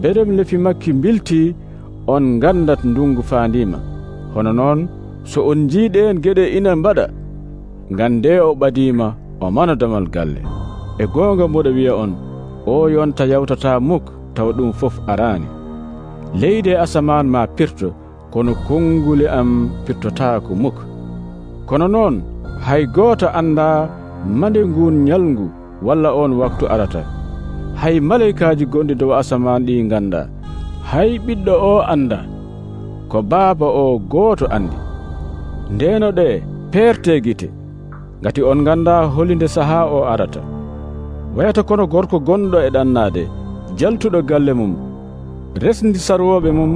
berem lefi makki mbiltii, on ngandat ndungu faandiima. Hono noon so on njiiɗeen geɗe ina mbaɗa, ngande o ɓadiima o mana damal galle. E goonga mboɗo wiya on, o yonta yawtataa muk tawa ɗum fof araani. Leydi e asamaan ma pirto, kono konnguli am pirtotaako muk. Kono noon hay gooto anndaa mande ngun ñalngu walla on waktu arata. Hay malaykaaji gonɗi dow asamaan ɗi nganndaa, hay ɓiɗɗo o anndaa, ko baaba o gooto anndi. Ndeeno ɗe peerte gite, ngati on nganndaa holinde sahaa o arata. Wayata kono gorko gonɗo e ɗannaade, jaltuɗo galle mum, resndi sarwooɓe mum,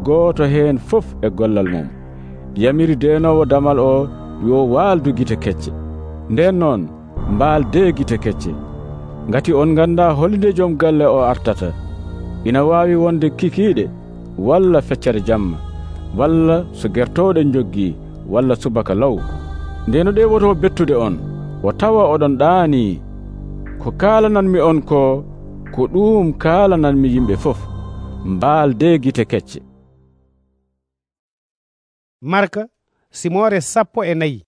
gooto heen fof e gollal mum. Yamiri deenoowo damal o yo waaldu gite kecce. Nden noon mbaaldee gite kecce, ngati on nganndaa holinde joom galle o artata. Ina waawi wonde kikiiɗe, walla feccere jamma, walla so gertooɗe joggii, walla subaka law. Ndeeno ɗe woto bettude on, o tawa oɗon ɗaanii. Ko kaalananmi on ko, ko ɗum kaalananmi yimɓe fof, mbaaldee gite kecce. Marka simore sappo e nayi.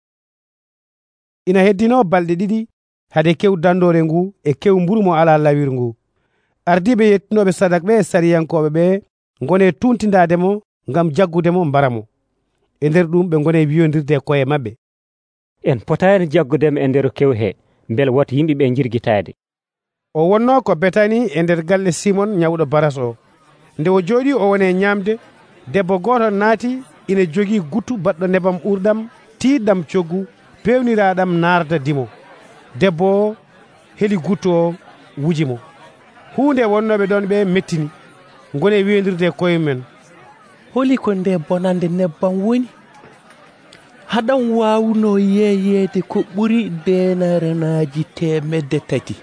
Ina heddino balɗe ɗiɗi hade kew dandore ngu e kew mburu mo ala lawir ngu. Ardiɓe yettinoɓe sadak ɓe e sariyankoɓe ɓe ngone tuntindademo ngam jaggudemo mbaramo. E nder ɗum ɓe ngone wiyodirde koye mabɓe, en potani jaggudemo e nder kew he, bel woto yimɓeɓe jirgitade. O wonno ko Betani e nder galle Simon ñawɗo baras o. Nde o jooɗi o wone ñamde, debbo goto naati, ina jogii guttu baɗɗo nebam ɓurɗam tiiɗɗam coggu pewniraɗam narda dimo. Debbo o heli guttu o wujimo. Hunde wonnoɓe ɗon ɓe mettini, ngone wiyodirde koye men, holi ko nde bonande nebbam woni? Haɗan wawuno yeeyede ko ɓuri denarenaji temedde tati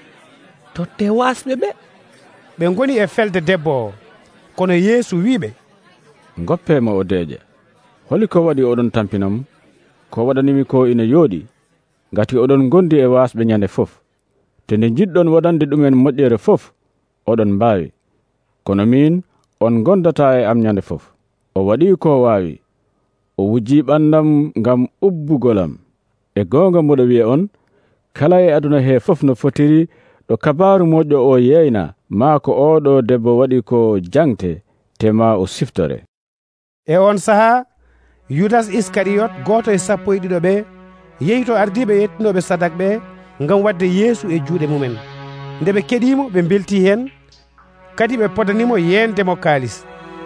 totte wasɓe ɓe. Ɓe ngoni e felde debbo o, kono Yeesu wiɓe, ngoppema o deeƴa. Holi ko waɗi oɗon tampinamo? ko waɗanimi ko ina yooɗi, ngati oɗon gondi e wasɓe nyande fof. te nde jiɗɗon waɗande ɗumen moƴƴere fof oɗon mbaawi, kono min on gondata e am nyande fof. O waɗi ko waawi, o wujji ɓandam ngam ubbugolam. e goonga mboɗo wi'a on, kala e aduna he fof no fotiri ɗo kabaru moƴƴo o yeyna maa ko oɗo debbo waɗi ko jangte te ma o siftore. e on sahaa yudas iskariyot, goto e sappo e ɗiɗo ɓe, yehi to ardiɓe yettinoɓe sadak ɓe ngam wadde yeesu e juuɗe mumen. nde ɓe keɗimo ɓe belti hen, kadi ɓe podanimo yendemo kaalis.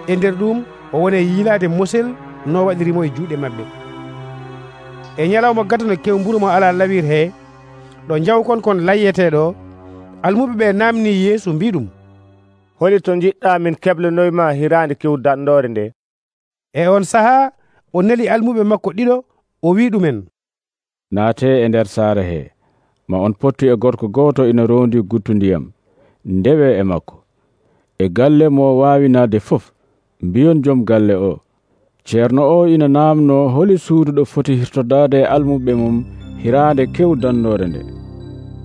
e nder ɗum o woni e yiilade mosel no waɗirimo e juuɗe mabɓe. e ñalawma gadano kewmburu mo ala lawir he, ɗo jawkon kon layyeteɗo, almuɓe ɓe namni yeesu mbi ɗum, holi to jiɗɗa min keblanoyma hirande kewdanɗore nde. e on sahaa o neli almuɓe makko ɗiɗo, o wi ɗumen, naate e nder saare he, ma on pottu e gorko goto ina rondi guttu ndiyam, ndewe e makko. e galle mo wawi naade fof, mbiyon joom galle o, ceerno o ina namno holi suudu ɗo foti hirtodade almuɓe mum hirande kewdannore nde.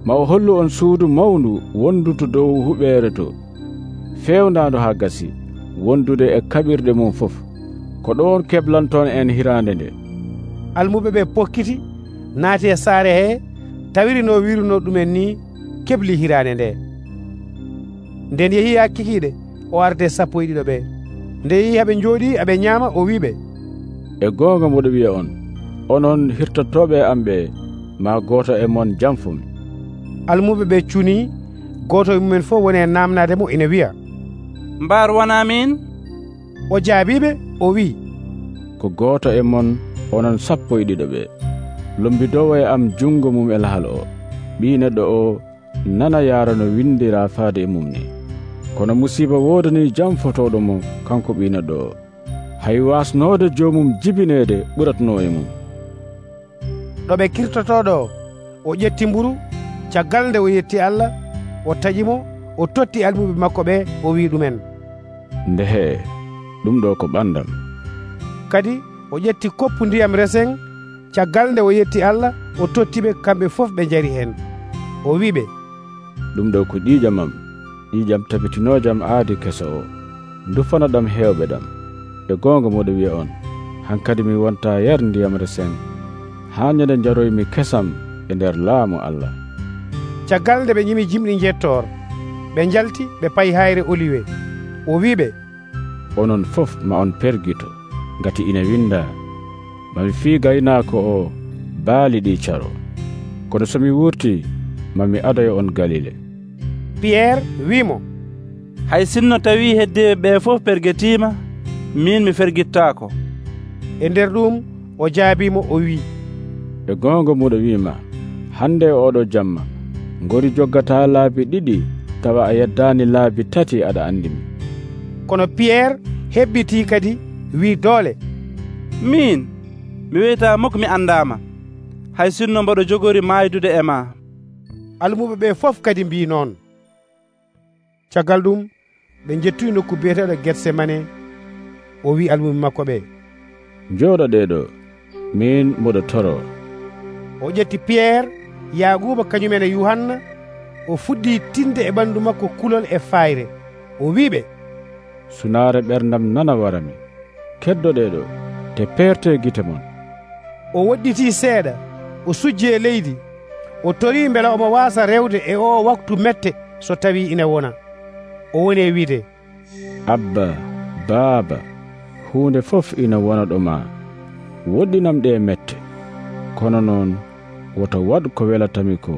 ma o hollu on suudu mawndu wonduto dow huɓere to, fewndandu ha gasi, wondude e kaɓirɗe mum fof. ko ɗon keblanton en hirande nde. almuɓe ɓe pokkiti naati e saare he, tawiri no wiruno ɗumen ni, kebli hirande nde. nden yehi ha kikiɗe, o arde sappo e ɗiɗo ɓe. nde yehi haɓe jooɗi aɓe ñaama, o wiɓe, e goonga mboɗo wiya on, onon hirtottoɓe am ɓe, ma goto e mon jamfumi. almuɓe ɓe cuni, goto e mumen fof woni e namnade mo, ina wiya, mbar wona min? o jaabiɓe, o wi, ko goto e mon onon sappo e ɗiɗo ɓe. lombidowo e am jungo mum e lahal o, ɓi neɗɗo o nana yaara no windira faade e mum ni. kono musiba wodani jamfotoɗo mo kanko ɓi neɗɗo o, hay wasnode jomum jibinede ɓuratno e mum. ɗo ɓe kirtotoɗo o ƴetti mburu, caggal nde o yetti Allah, o taƴimo, o totti almuɓe makko ɓe, o wi ɗumen, ndehe ɗum ɗo ko ɓandam. kadi o ƴetti koppu ndiyam resen, caggal nde o yetti Allah, o tottiɓe kamɓe fof ɓe jari hen, o wiɓe, ɗum ɗo ko ƴiƴam am, ƴiƴam tabitinojam aadi keso o, dufana ɗam hewɓe ɗam. e goonga moɗo wiya on, hankadi mi wonta yar ndiyam resen, ha ñande jaroymi kesam e nder laamu Allah. caggal nde ɓe ñimi jimɗi jettor, ɓe jalti ɓe payi hayre oliwe. o wiɓe, onon fof ma on pergito, ngati ina winda, mami fii gaynako o baali ɗi caro. kono somi wurti, mami adoya on Galile. Pierre wimo, hay sinno tawi heddiɓe ɓe fof pergetima, min mi fergittako. e nder ɗum o jaabimo, o wi, e goonga muɗo wima, hande oɗo jamma ngori joggata laabi ɗiɗi tawa a yeddani laabi tati aɗa andimi. kono Pierre hebbiti kadi wi doole, min mi wiyata moko mi andama, hay sinno mboɗo jogori maydude e ma. almuɓe ɓe fof kadi mbi noon. caggal ɗum ɓe jettuyi nokku biyeteɗo Getsemane. o wi almuɓe makko ɓe, jooɗoɗe ɗo, min mboɗo toro. o ƴetti Pierre, Yaquba kañumen e Yuhanna, o fuɗɗi tinde e ɓandu makko kulol e fayre, o wiɓe, sunaare ɓerdam nana warami, keddoɗe ɗo, te perte gite mon. o woɗɗiti seeɗa, o sujji e leydi, o tori beela omo wasa rewde e o waktu mette so tawi ina wona. o woni e wiide, abba, baaba, hunde fof ina wona ɗo ma, woɗɗinam ɗe mette, kono noon woto waɗ ko welatami ko,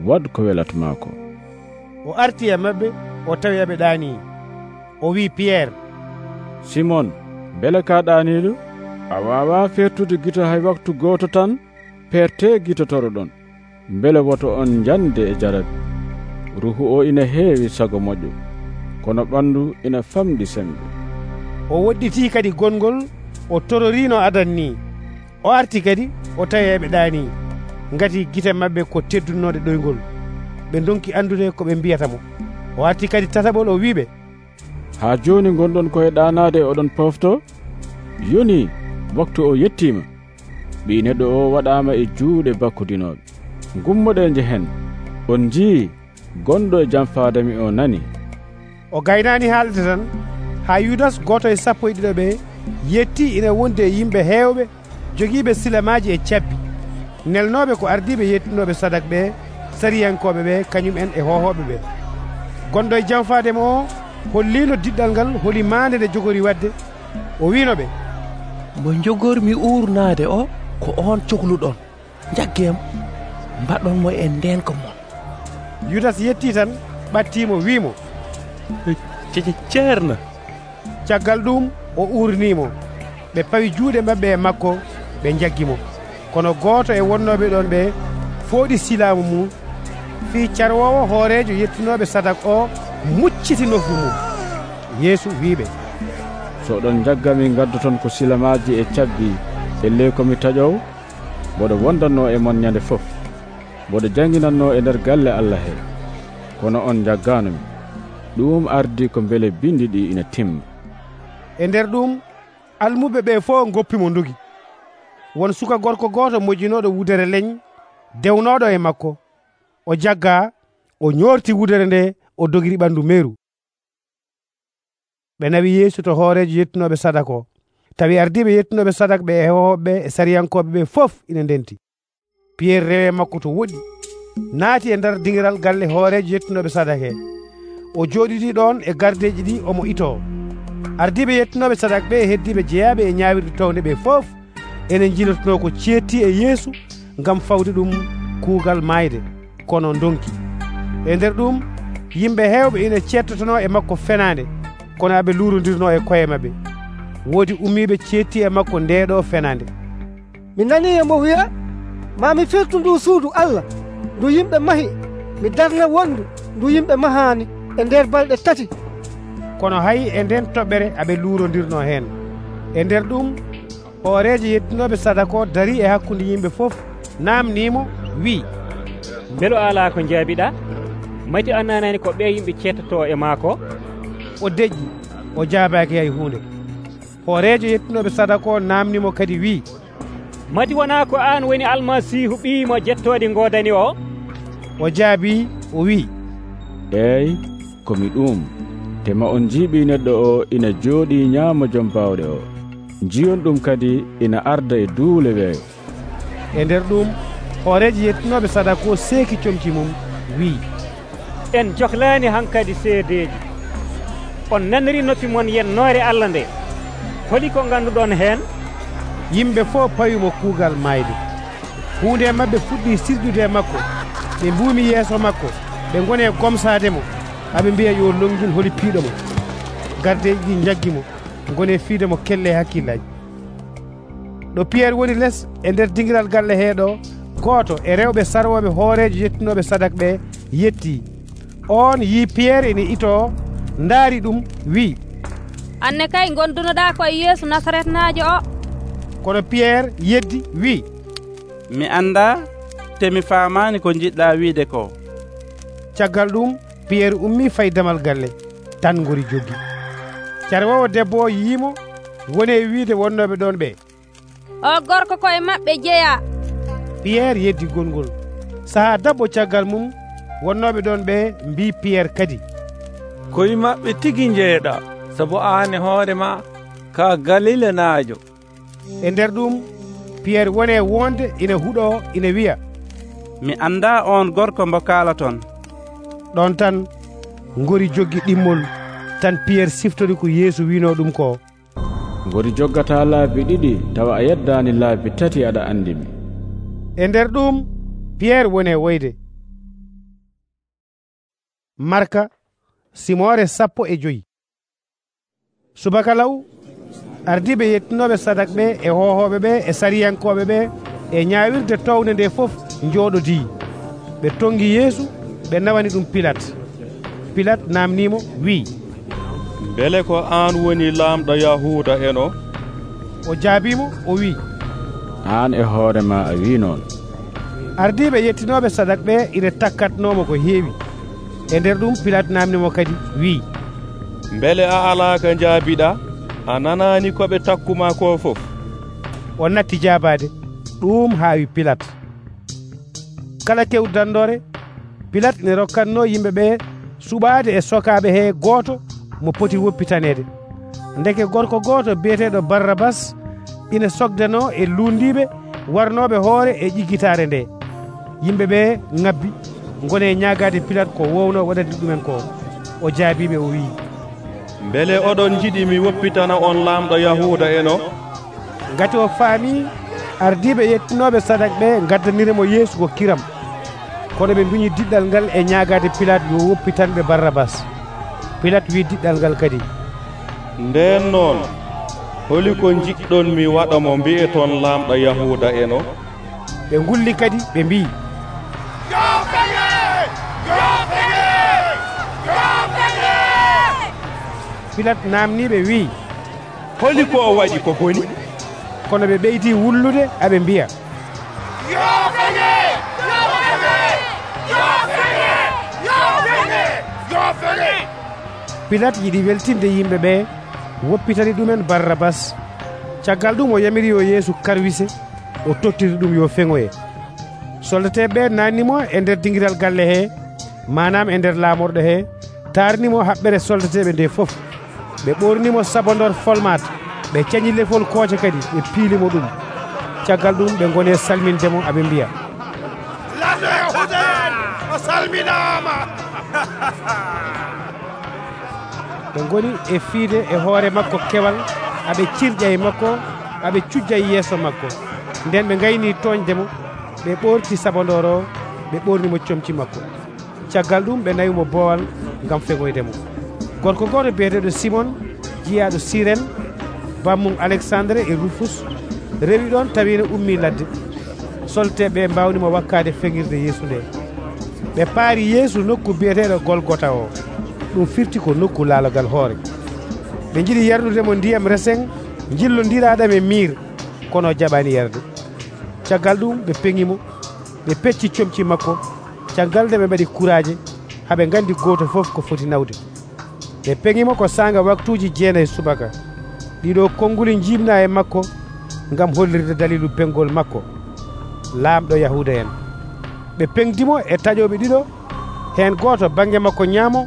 waɗ ko welatma ko. o arti e mabɓe, o tawi aɓe ɗaani. o wi Pierre, Simon, bele ka ɗaaniɗo? a wawa fertude gito hay waktu goto tan? perte gito toroɗon, bele woto on jande e jarabi. ruhu o ina heewi sago moƴƴo, kono ɓandu ina famɗi sembe. o woɗɗiti kadi gongol, o tororino adan ni. o arti kadi o tawi eɓe ɗaani, ngati gite mabɓe ko teddunode ɗoygol. ɓe donki andude ko ɓe mbiyata mo. o arti kadi tataɓol, o wiɓe, ha joni gonɗon koye ɗanade oɗon pofto? yoni waktu o yettima. ɓii neɗɗo o waɗaama e juuɗe bakkudinooɓe. Gummoɗe njehen, on njii gonɗo e jam faadami o nani. O gaynaani haalde tan haa Yudas gooto e sappo e ɗiɗo ɓe yettii ina wondi e yimɓe heewɓe jogiiɓe silamaaji e cabbi, nelnooɓe ko ardiiɓe yettinooɓe sadak ɓe, sariyankooɓe ɓe kañum en e hohooɓe ɓe. Gonɗo e jam faademi o holliino diɗɗal ngal holi maande nde jogori wadde. O wiino ɓe, mo jogormi uurnaade o ko on cohluɗon. Jaggeemo mbaɗon mo e ndenka mon. Yudas yettii tan ɓattiimo wiimo, ceerno. caggal ɗum o uurniimo. ɓe pawi juuɗe maɓɓe e makko ɓe jaggimo. Kono gooto e wonnooɓe ɗon ɓe fooɗi silaamu mum, fii carwoowo hooreejo yettinooɓe sadak o mucciti nofru mum. Yeesu wiiɓe, so oɗon jaggami gaddoton ko silamaaji e cabbi e ley komi taƴow, mboɗo wondanno e mon ñande fof, mboɗo janginanno e nder galle Allah he. Kono on jagganumi. Ɗum ardi ko mbele bindi ɗi ina timma. E nder ɗum almuɓe ɓe fof goppimo ndugi. Won suka gorko gooto mojjinooɗo wudere leñ dewnooɗo e makko. O jagga, o ñoorti wudere nde, o dogiri ɓandu meeru. ɓe nawi Yeesu to hooreejo yettinooɓe sadak o. Tawi ardiiɓe yettinooɓe sadak ɓe e hohoɓe e sariyankooɓe ɓe fof ina ndenti. Piyerre rewe makko to woɗɗi, naati e nder dingiral galle hooreejo yettinooɓe sadak he. O jooɗitii ɗon e gardeeji ɗi omo itoo. Ardiiɓe yettinooɓe sadak ɓe e heddiiɓe jeyaaɓe e ñaawirde towde ɓe fof enen jilotonoo ko ceetti e Yeesu ngam fawde ɗum kuugal maayde, kono ndonki. E nder ɗum yimɓe heewɓe ina cettotonoo e makko fenaande, kono aɓe luurondirnoo e koye maɓɓe. Woodi ummiiɓe ceetti e makko ndeeɗoo fenaande. Mi nanii emo wiya, maa mi firtu ndu suudu Allah ndu yimɓe mahi, mi darna wondu ndu yimɓe mahaani e nder balɗe tati. Kono hay e nden toɓɓere aɓe luurondirnoo heen. E nder ɗum hooreejo yettinooɓe sadak o darii e hakkunde yimɓe fof, naamniimo wi'i, mbelo alaa ko njaabiɗaa? Mati annanani ko ɓe yimɓe cettotoo e maako? O deƴƴi, o jaabaaki hay huunde. Hooreejo yettinooɓe sadak o naamnimo kadi wi'i, mati wonaa ko aan woni almasiihu ɓii mo jettoode ngoodani o? O jaabii, o wi'i, eeyi, komi ɗum. Tema on jiiɓii neɗɗo o ina jooɗii ñaamo jom baawɗe o. Njiyon ɗum kadi ina arda e duule weeyo. E nder ɗum hooreejo yettinooɓe sadak o seeki comci mum wi'i, en johlaani hankadi seedeeji. On naniri noppi mon yennoore Allah nde. Holi ko ngannduɗon heen? Yimɓe fof pawimo kuugal maayde. Huunde maɓɓe fuɗɗii sirdude e makko. Ɓe mbuumi yeeso makko, ɓe ngoni e gomsaade mo, aɓe mbiya yo longin holi piiɗo mo. Gardeeji ɗi jaggi mo, ngoni e fiide mo kelle hakkillaaji. Ɗo Piyerre woni les e nder dingiral galle heeɗo, gooto e rewɓe sarwooɓe hooreejo yettinooɓe sadak ɓe yettii. On yii Piyerre ene itoo, ndaari ɗum wi'i, anne kay gondunoɗaa koye Yeesu Nasaretnaajo o. Kono Piyerre yeddi wi'i, mi anndaa te mi faamaani ko jiɗɗaa wiide ko. Caggal ɗum Piyerre ummii fayi damal galle, tan ngori joggi. Carwoowo debbo o yiimo, woni e wiide wonnooɓe ɗon ɓe, o gorko koye maɓɓe jeyaa. Piyerre yeddi gongol. Sahaa dabbo caggal mum, wonnooɓe ɗon ɓe mbii Piyerre kadi, koye maɓɓe tigi jeeɗaa, sabu aan e hoore ma ka Galilanaajo. E nder ɗum Piyerre woni e wonde ina huɗoo ina wiya, mi anndaa on gorko mbo kaalaton. Ɗon tan ngori joggi ɗimmol, tan Piyerre siftori ko Yeesu wiinoo ɗum ko. Ngori joggataa laabi ɗiɗi tawa a yeddaani laabi tati aɗa anndimi. E nder ɗum Piyerre woni e woyde. Marka simore sappo e joyi. Subaka law ardiɓe yettinooɓe sadak ɓe e hohooɓe ɓe e sariyankooɓe ɓe e ñaawirde towde nde fof njooɗodii. Ɓe tongi Yeesu, ɓe nawani ɗum Pilate. Pilate naamniimo wi'i, mbele ko aan woni laamɗo Yahuuda en o? O jaabiimo, o wi'i, aan e hoore ma a wii noon. Ardiiɓe yettinooɓe sadak ɓe ina takkatnoomo ko heewi. E nder ɗum Pilate naamnimo kadi wi'i, mbele a alaa ko njaabiɗaa? A nanaani ko ɓe takkuma ko fof? O natti jaabaade. ɗum haawi Pilat. Kala kewdandore Pilat ne rokkanno yimɓe ɓe suɓaade e sokaaɓe he gooto mo poti woppitaneede. Ndeke gorko gooto biyeteeɗo Barrabas ina sogdano e luundiiɓe warnooɓe hoore e ƴiggitaare nde. Yimɓe ɓe ŋabbi ngone ñaagaade Pilat ko wowno waɗande ɗumen ko. O jaabiɓe o wii, beele oɗon jiɗi mi woppitana on laamɗo Yahuuda eno? Ngati o faami ardiiɓe yettinooɓe sadak ɓe gaddaniremo Yeesu ko kiram, kono ɓe mbiñi diɗɗal ngal e ñaagaade Pilat yo woppitanɓe Barrabas. Pilat wi diɗɗal ngal kadi, nden noon holi ko jiɗɗon mi waɗa mo mbi'eton laamɗo Yahuuda eno? Ɓe ngulli kadi ɓe mbi, Pilat namniɓe wi, holi ko o waɗi ko boni? Kono ɓe ɓeydii wullude aɓe mbiya, Pilat yiɗi weltinde yimɓe ɓe woppitani ɗumen Barrabas. Caggal ɗum o yamiri yo Yeesu karwise o tottiri ɗum yo feŋoye. Soldateɓe nannimo e nder dingiral galle he, manam e nder laamorɗo he, tarnimo haɓɓere soldateɓe nde fof. Ɓe ɓornimo sabondor folmat, ɓe cañi lefol kooce kadi ɓe piilimo ɗum. Caggal ɗum ɓe gone salmindemo aɓe mbiya, laɗɗo Yahuuda en o salminama. ɓe goni e fiide e hoore makko kewal, aɓe cirƴa e makko, aɓe cujja e yeeso makko. Nden ɓe gayni toñdemo, ɓe ɓorti sabondor o, ɓe ɓornimo comci makko. Caggal ɗum ɓe nawimo boowal ngam feŋoydemo. Gorko goto biyeteɗo Simon, jiyaɗo Siren, bammum Alexandre e Rufus, rewi ɗon tawino ummi ladde. Solteɓe mbawnimo wakkade feŋirde Yeesu nde. ɓe paari Yeesu nokku biyeteɗo Golgota o, ɗum firti ko nokku laalogal hoore. ɓe jiɗi yardudemo ndiyam resen jillodiraɗam e miir, kono jaɓani yarde. Caggal ɗum ɓe peŋimo, ɓe pecci comci makko. Caggal nde ɓe mbaɗi kuraje haɓe gandi goto fof ko foti nawde. ɓe peŋimo ko sanga waktuji jeenayi subaka. ɗiɗo konnguli jibna e makko ngam hollirde dalilu peŋgol makko, laamɗo Yahuuda en. ɓe peŋdimo e taƴoɓe ɗiɗo, hen goto banggue makko ñaamo,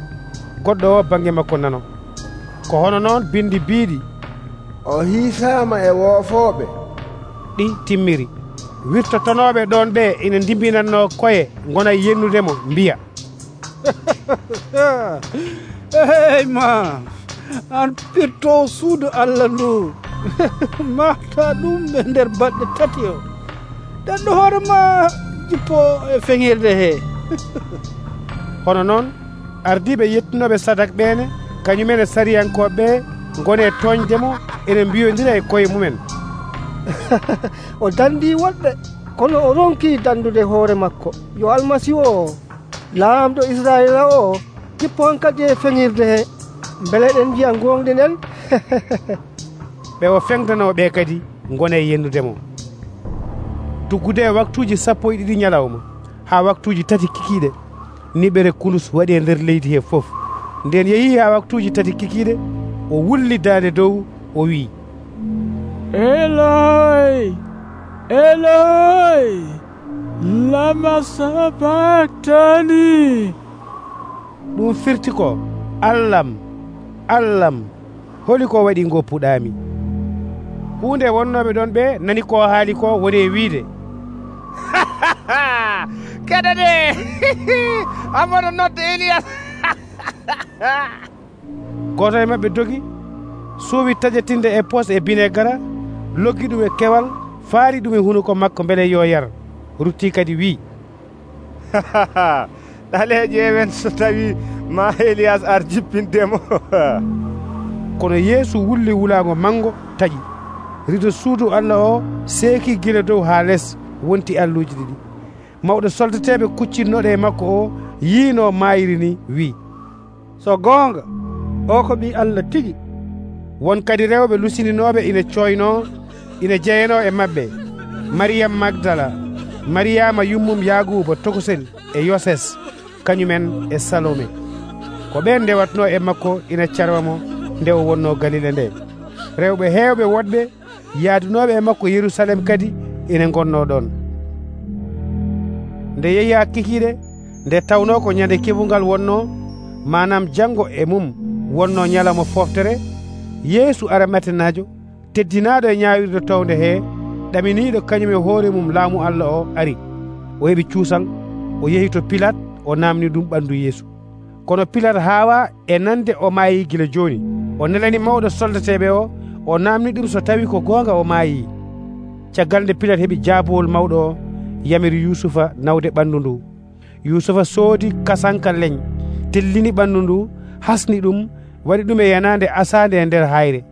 goɗɗo o banggue makko nano. Ko hono noon bindi biiɗi, o hiisama e woofooɓe, ɗi timmiri. Wirtotonoɓe ɗon ɓe ina dimbinanno koye gona yennudemo mbiya, hey ma an pirto suudu Allah ndu mata ɗum ɓe nder balɗe tati o, ɗanɗo hoore ma jippo e feŋirde he. Hono noon ardiɓe yettinoɓe sadak ɓene kañumen e sariyankoɓe gone toñdemo ene mbiyodira e koye mumen. O dandi woɗɓe, kono o ronki dandude hoore makko yo almasihu o, laamɗo Israila o, jippo on kadi e feŋirde he, beele ɗen jiya gonɗi nden. ɓe o feŋdanoɓe kadi gone yennudemo. Tuggude e waktuji sappo e ɗiɗi ñalawma ha waktuji tati kikiɗe, niɓere kulus waɗi e nder leydi he fof. Nden yeehi ha waktuji tati kikiɗe, o wulli daande dow o wi, Eloi, Eloi, lama sabaktani. ɗum firti ko, Allam, Allam, holi ko waɗi goppuɗami. hunde wonnoɓe ɗon ɓe nani ko haali ko woni e wiide, keɗade amoɗo nodde Elias. goto e mabɓe dogi suuwi taƴetinde e pos e binegara, loggi ɗum e kewal, faari ɗum e hunuko makko beele yo yar. Rutti kadi wi, ɗale ƴeewen so tawi ma Elias ar jippindemo. kono Yeesu wulli wulago mango taƴi. rido suudu Allah o seeki gila dow ha less, wonti alluji ɗiɗi. mawɗo soldateɓe kuccinnoɗo e makko o yiino mayiri ni wi, so goonga o ko ɓi Allah tigi. won kadi rewɓe lusininoɓe ina coyno ina jeyano e mabɓe, Mariyam Magdala, Mariyama yummum Yaguba tokosel e Yoses, kañumen e Salome. ko ɓen ndewatno e makko ina carwamo nde o wonno Galile nde. rewɓe heewɓe woɗɓe yaadunoɓe e makko Yerusalem kadi ina gonno ɗon. Nde yehi hakkikiiɗe nde tawno ko ñande keɓungal wonno, manam janngo e mum wonno ñalawma foftere, Yeesu Arimatenajo, teddinaɗo e ñawirde towde he, ɗaminiɗo kañum e hoore mum laamu Allah o, ari. O heɓi cuusal, o yehi to Pilat, o namni ɗum ɓandu Yeesu. Kono Pilat haawa e nande o maayi gila joni. O nelani mawɗo soldateɓe o, o namni ɗum so tawi ko goonga o maayi. Caggal nde Pilat heɓi jaabowol mawɗo o, yamiri Yusufa nawde ɓandu ndu. Yusufa soodi kasanka leñ, tellini ɓandu ndu, hasni ɗum, waɗi ɗum e yanande asande e nder hayre.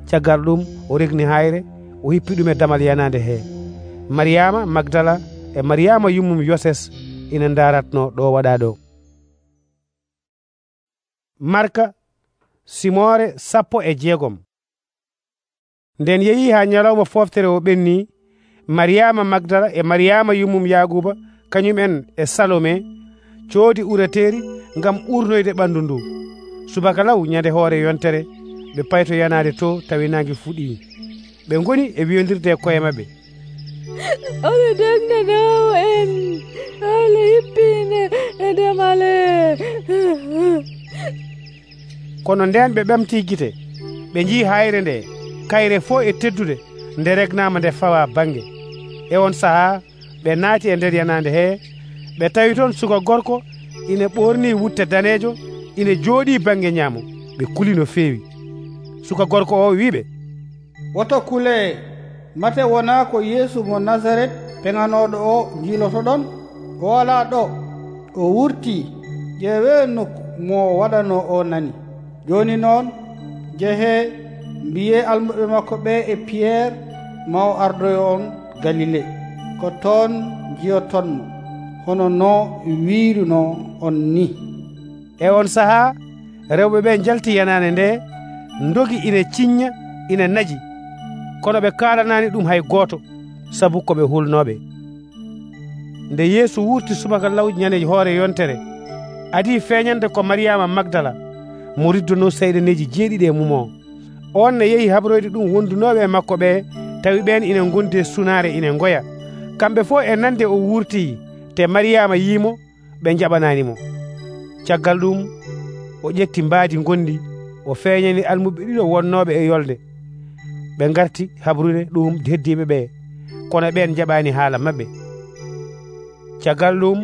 Caggal ɗum o regni hayre, o hippi ɗum e damal yanande he. Mariyama Magdala e Mariyama yummum Yoses ina ndaratno ɗo waɗa ɗo. Marka simore sappo e jeegom. Nden yehi ha ñalawma foftere o ɓenni, Mariyama Magdala e Mariyama yummum Yaguba kañum en e Salome coodi ureteri ngam urnoyde ɓandu ndu. Subaka law ñande hoore yontere ɓe payto yanade to tawi nangi fuɗi. Ɓe ngoni e wiyodirde e koye maɓɓe, Allah dagnanawo en, Allah hippine e demale. Kono nden ɓe ɓamti gite, ɓe jii hayre nde kayre fo e teddude nde regnama nde fawa bange. E on saha ɓe naati e nder yanande he, ɓe tawi toon suka gorko ina ɓorni wutte danejo, ina jooɗi bange ñaamo. Ɓe kuli no feewi. Suka gorko o wiɓe, woto kule, mate wona ko Yeesu mo Nasaret peŋanoɗo o jiiloto ɗon? O wala ɗo, o wurti. ƴeewe nokku mo waɗano o nani. Joni noon jehe mbiye almuɓe makko ɓe e Pierre ma o ardoyo on Galile, ko toon jiyotonmo hono no wiiruno on ni. E on saha rewɓe ɓe jalti yanane nde, ndogi ina ciñña ina naji, kono ɓe kalanani ɗum hay goto, sabu koɓe hulnoɓe. Nde Yeesu wurti subaka law ñande hoore yontere, adi feeñande ko Mariyama Magdala mo riddono seyɗaneji jeeɗiɗi e mum o. On ne yehi habroyde ɗum wondunoɓe e makko ɓe, tawi ɓen ina gondi e sunare ina goya. Kamɓe fof e nande o wurti, te Mariyama yiimo, ɓe jaɓananimo. Caggal ɗum o ƴetti mbaadi gondi, o feeñani almuɓe ɗiɗo wonnoɓe e yolde. Ɓe garti habrude ɗum heddiɓe ɓe, kono ɓen jaɓani haala mabɓe. Caggal ɗum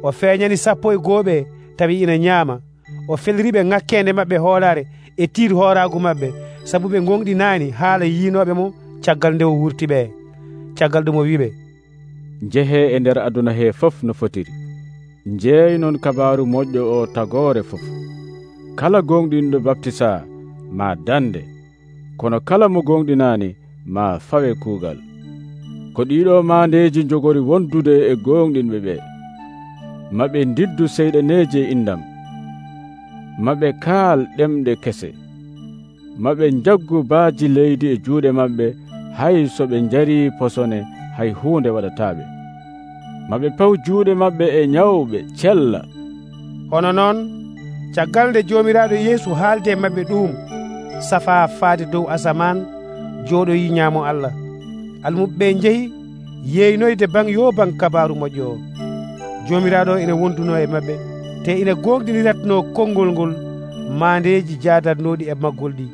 o feeñani sappo e gooɓe tawi ina ñaama. O felriɓe ŋakkende mabɓe hoolare e tiir hooragu mabɓe, sabu ɓe gonɗinani haala yiinoɓe mo caggal nde o wurti ɓe. Caggal ɗum o wiɓe, jehe e nder aduna he fof no fotiri. Jeey non kabaru moƴƴo o tagore fof. Kala gonɗinɗo baptisa ma dande, kono kala mo gonɗinani ma fawe kuugal. Ko ɗiɗo mandeji jogori wondude e gonɗinɓe ɓe. Maɓe ndiddu seyɗaneje indam, maɓe kaal ɗemɗe kese, maɓe jaggu baaji leydi e juuɗe maɓɓe, hay so ɓe njari posone hay hunde waɗataɓe. Maɓe paw juuɗe maɓɓe e ñawɓe cella. Hono noon caggal nde jomiraɗo Yeesu haalde maɓɓe ɗum, safa faade dow asaman, jooɗoyi ñaamo Allah. Almuɓe jehi yeynoyde bang yo bang kabaru moƴƴo o. Jomiraɗo ina wonduno e maɓɓe, te ina gonɗiniratno konngol ngol mandeji jadatnoɗi e maggol ɗi.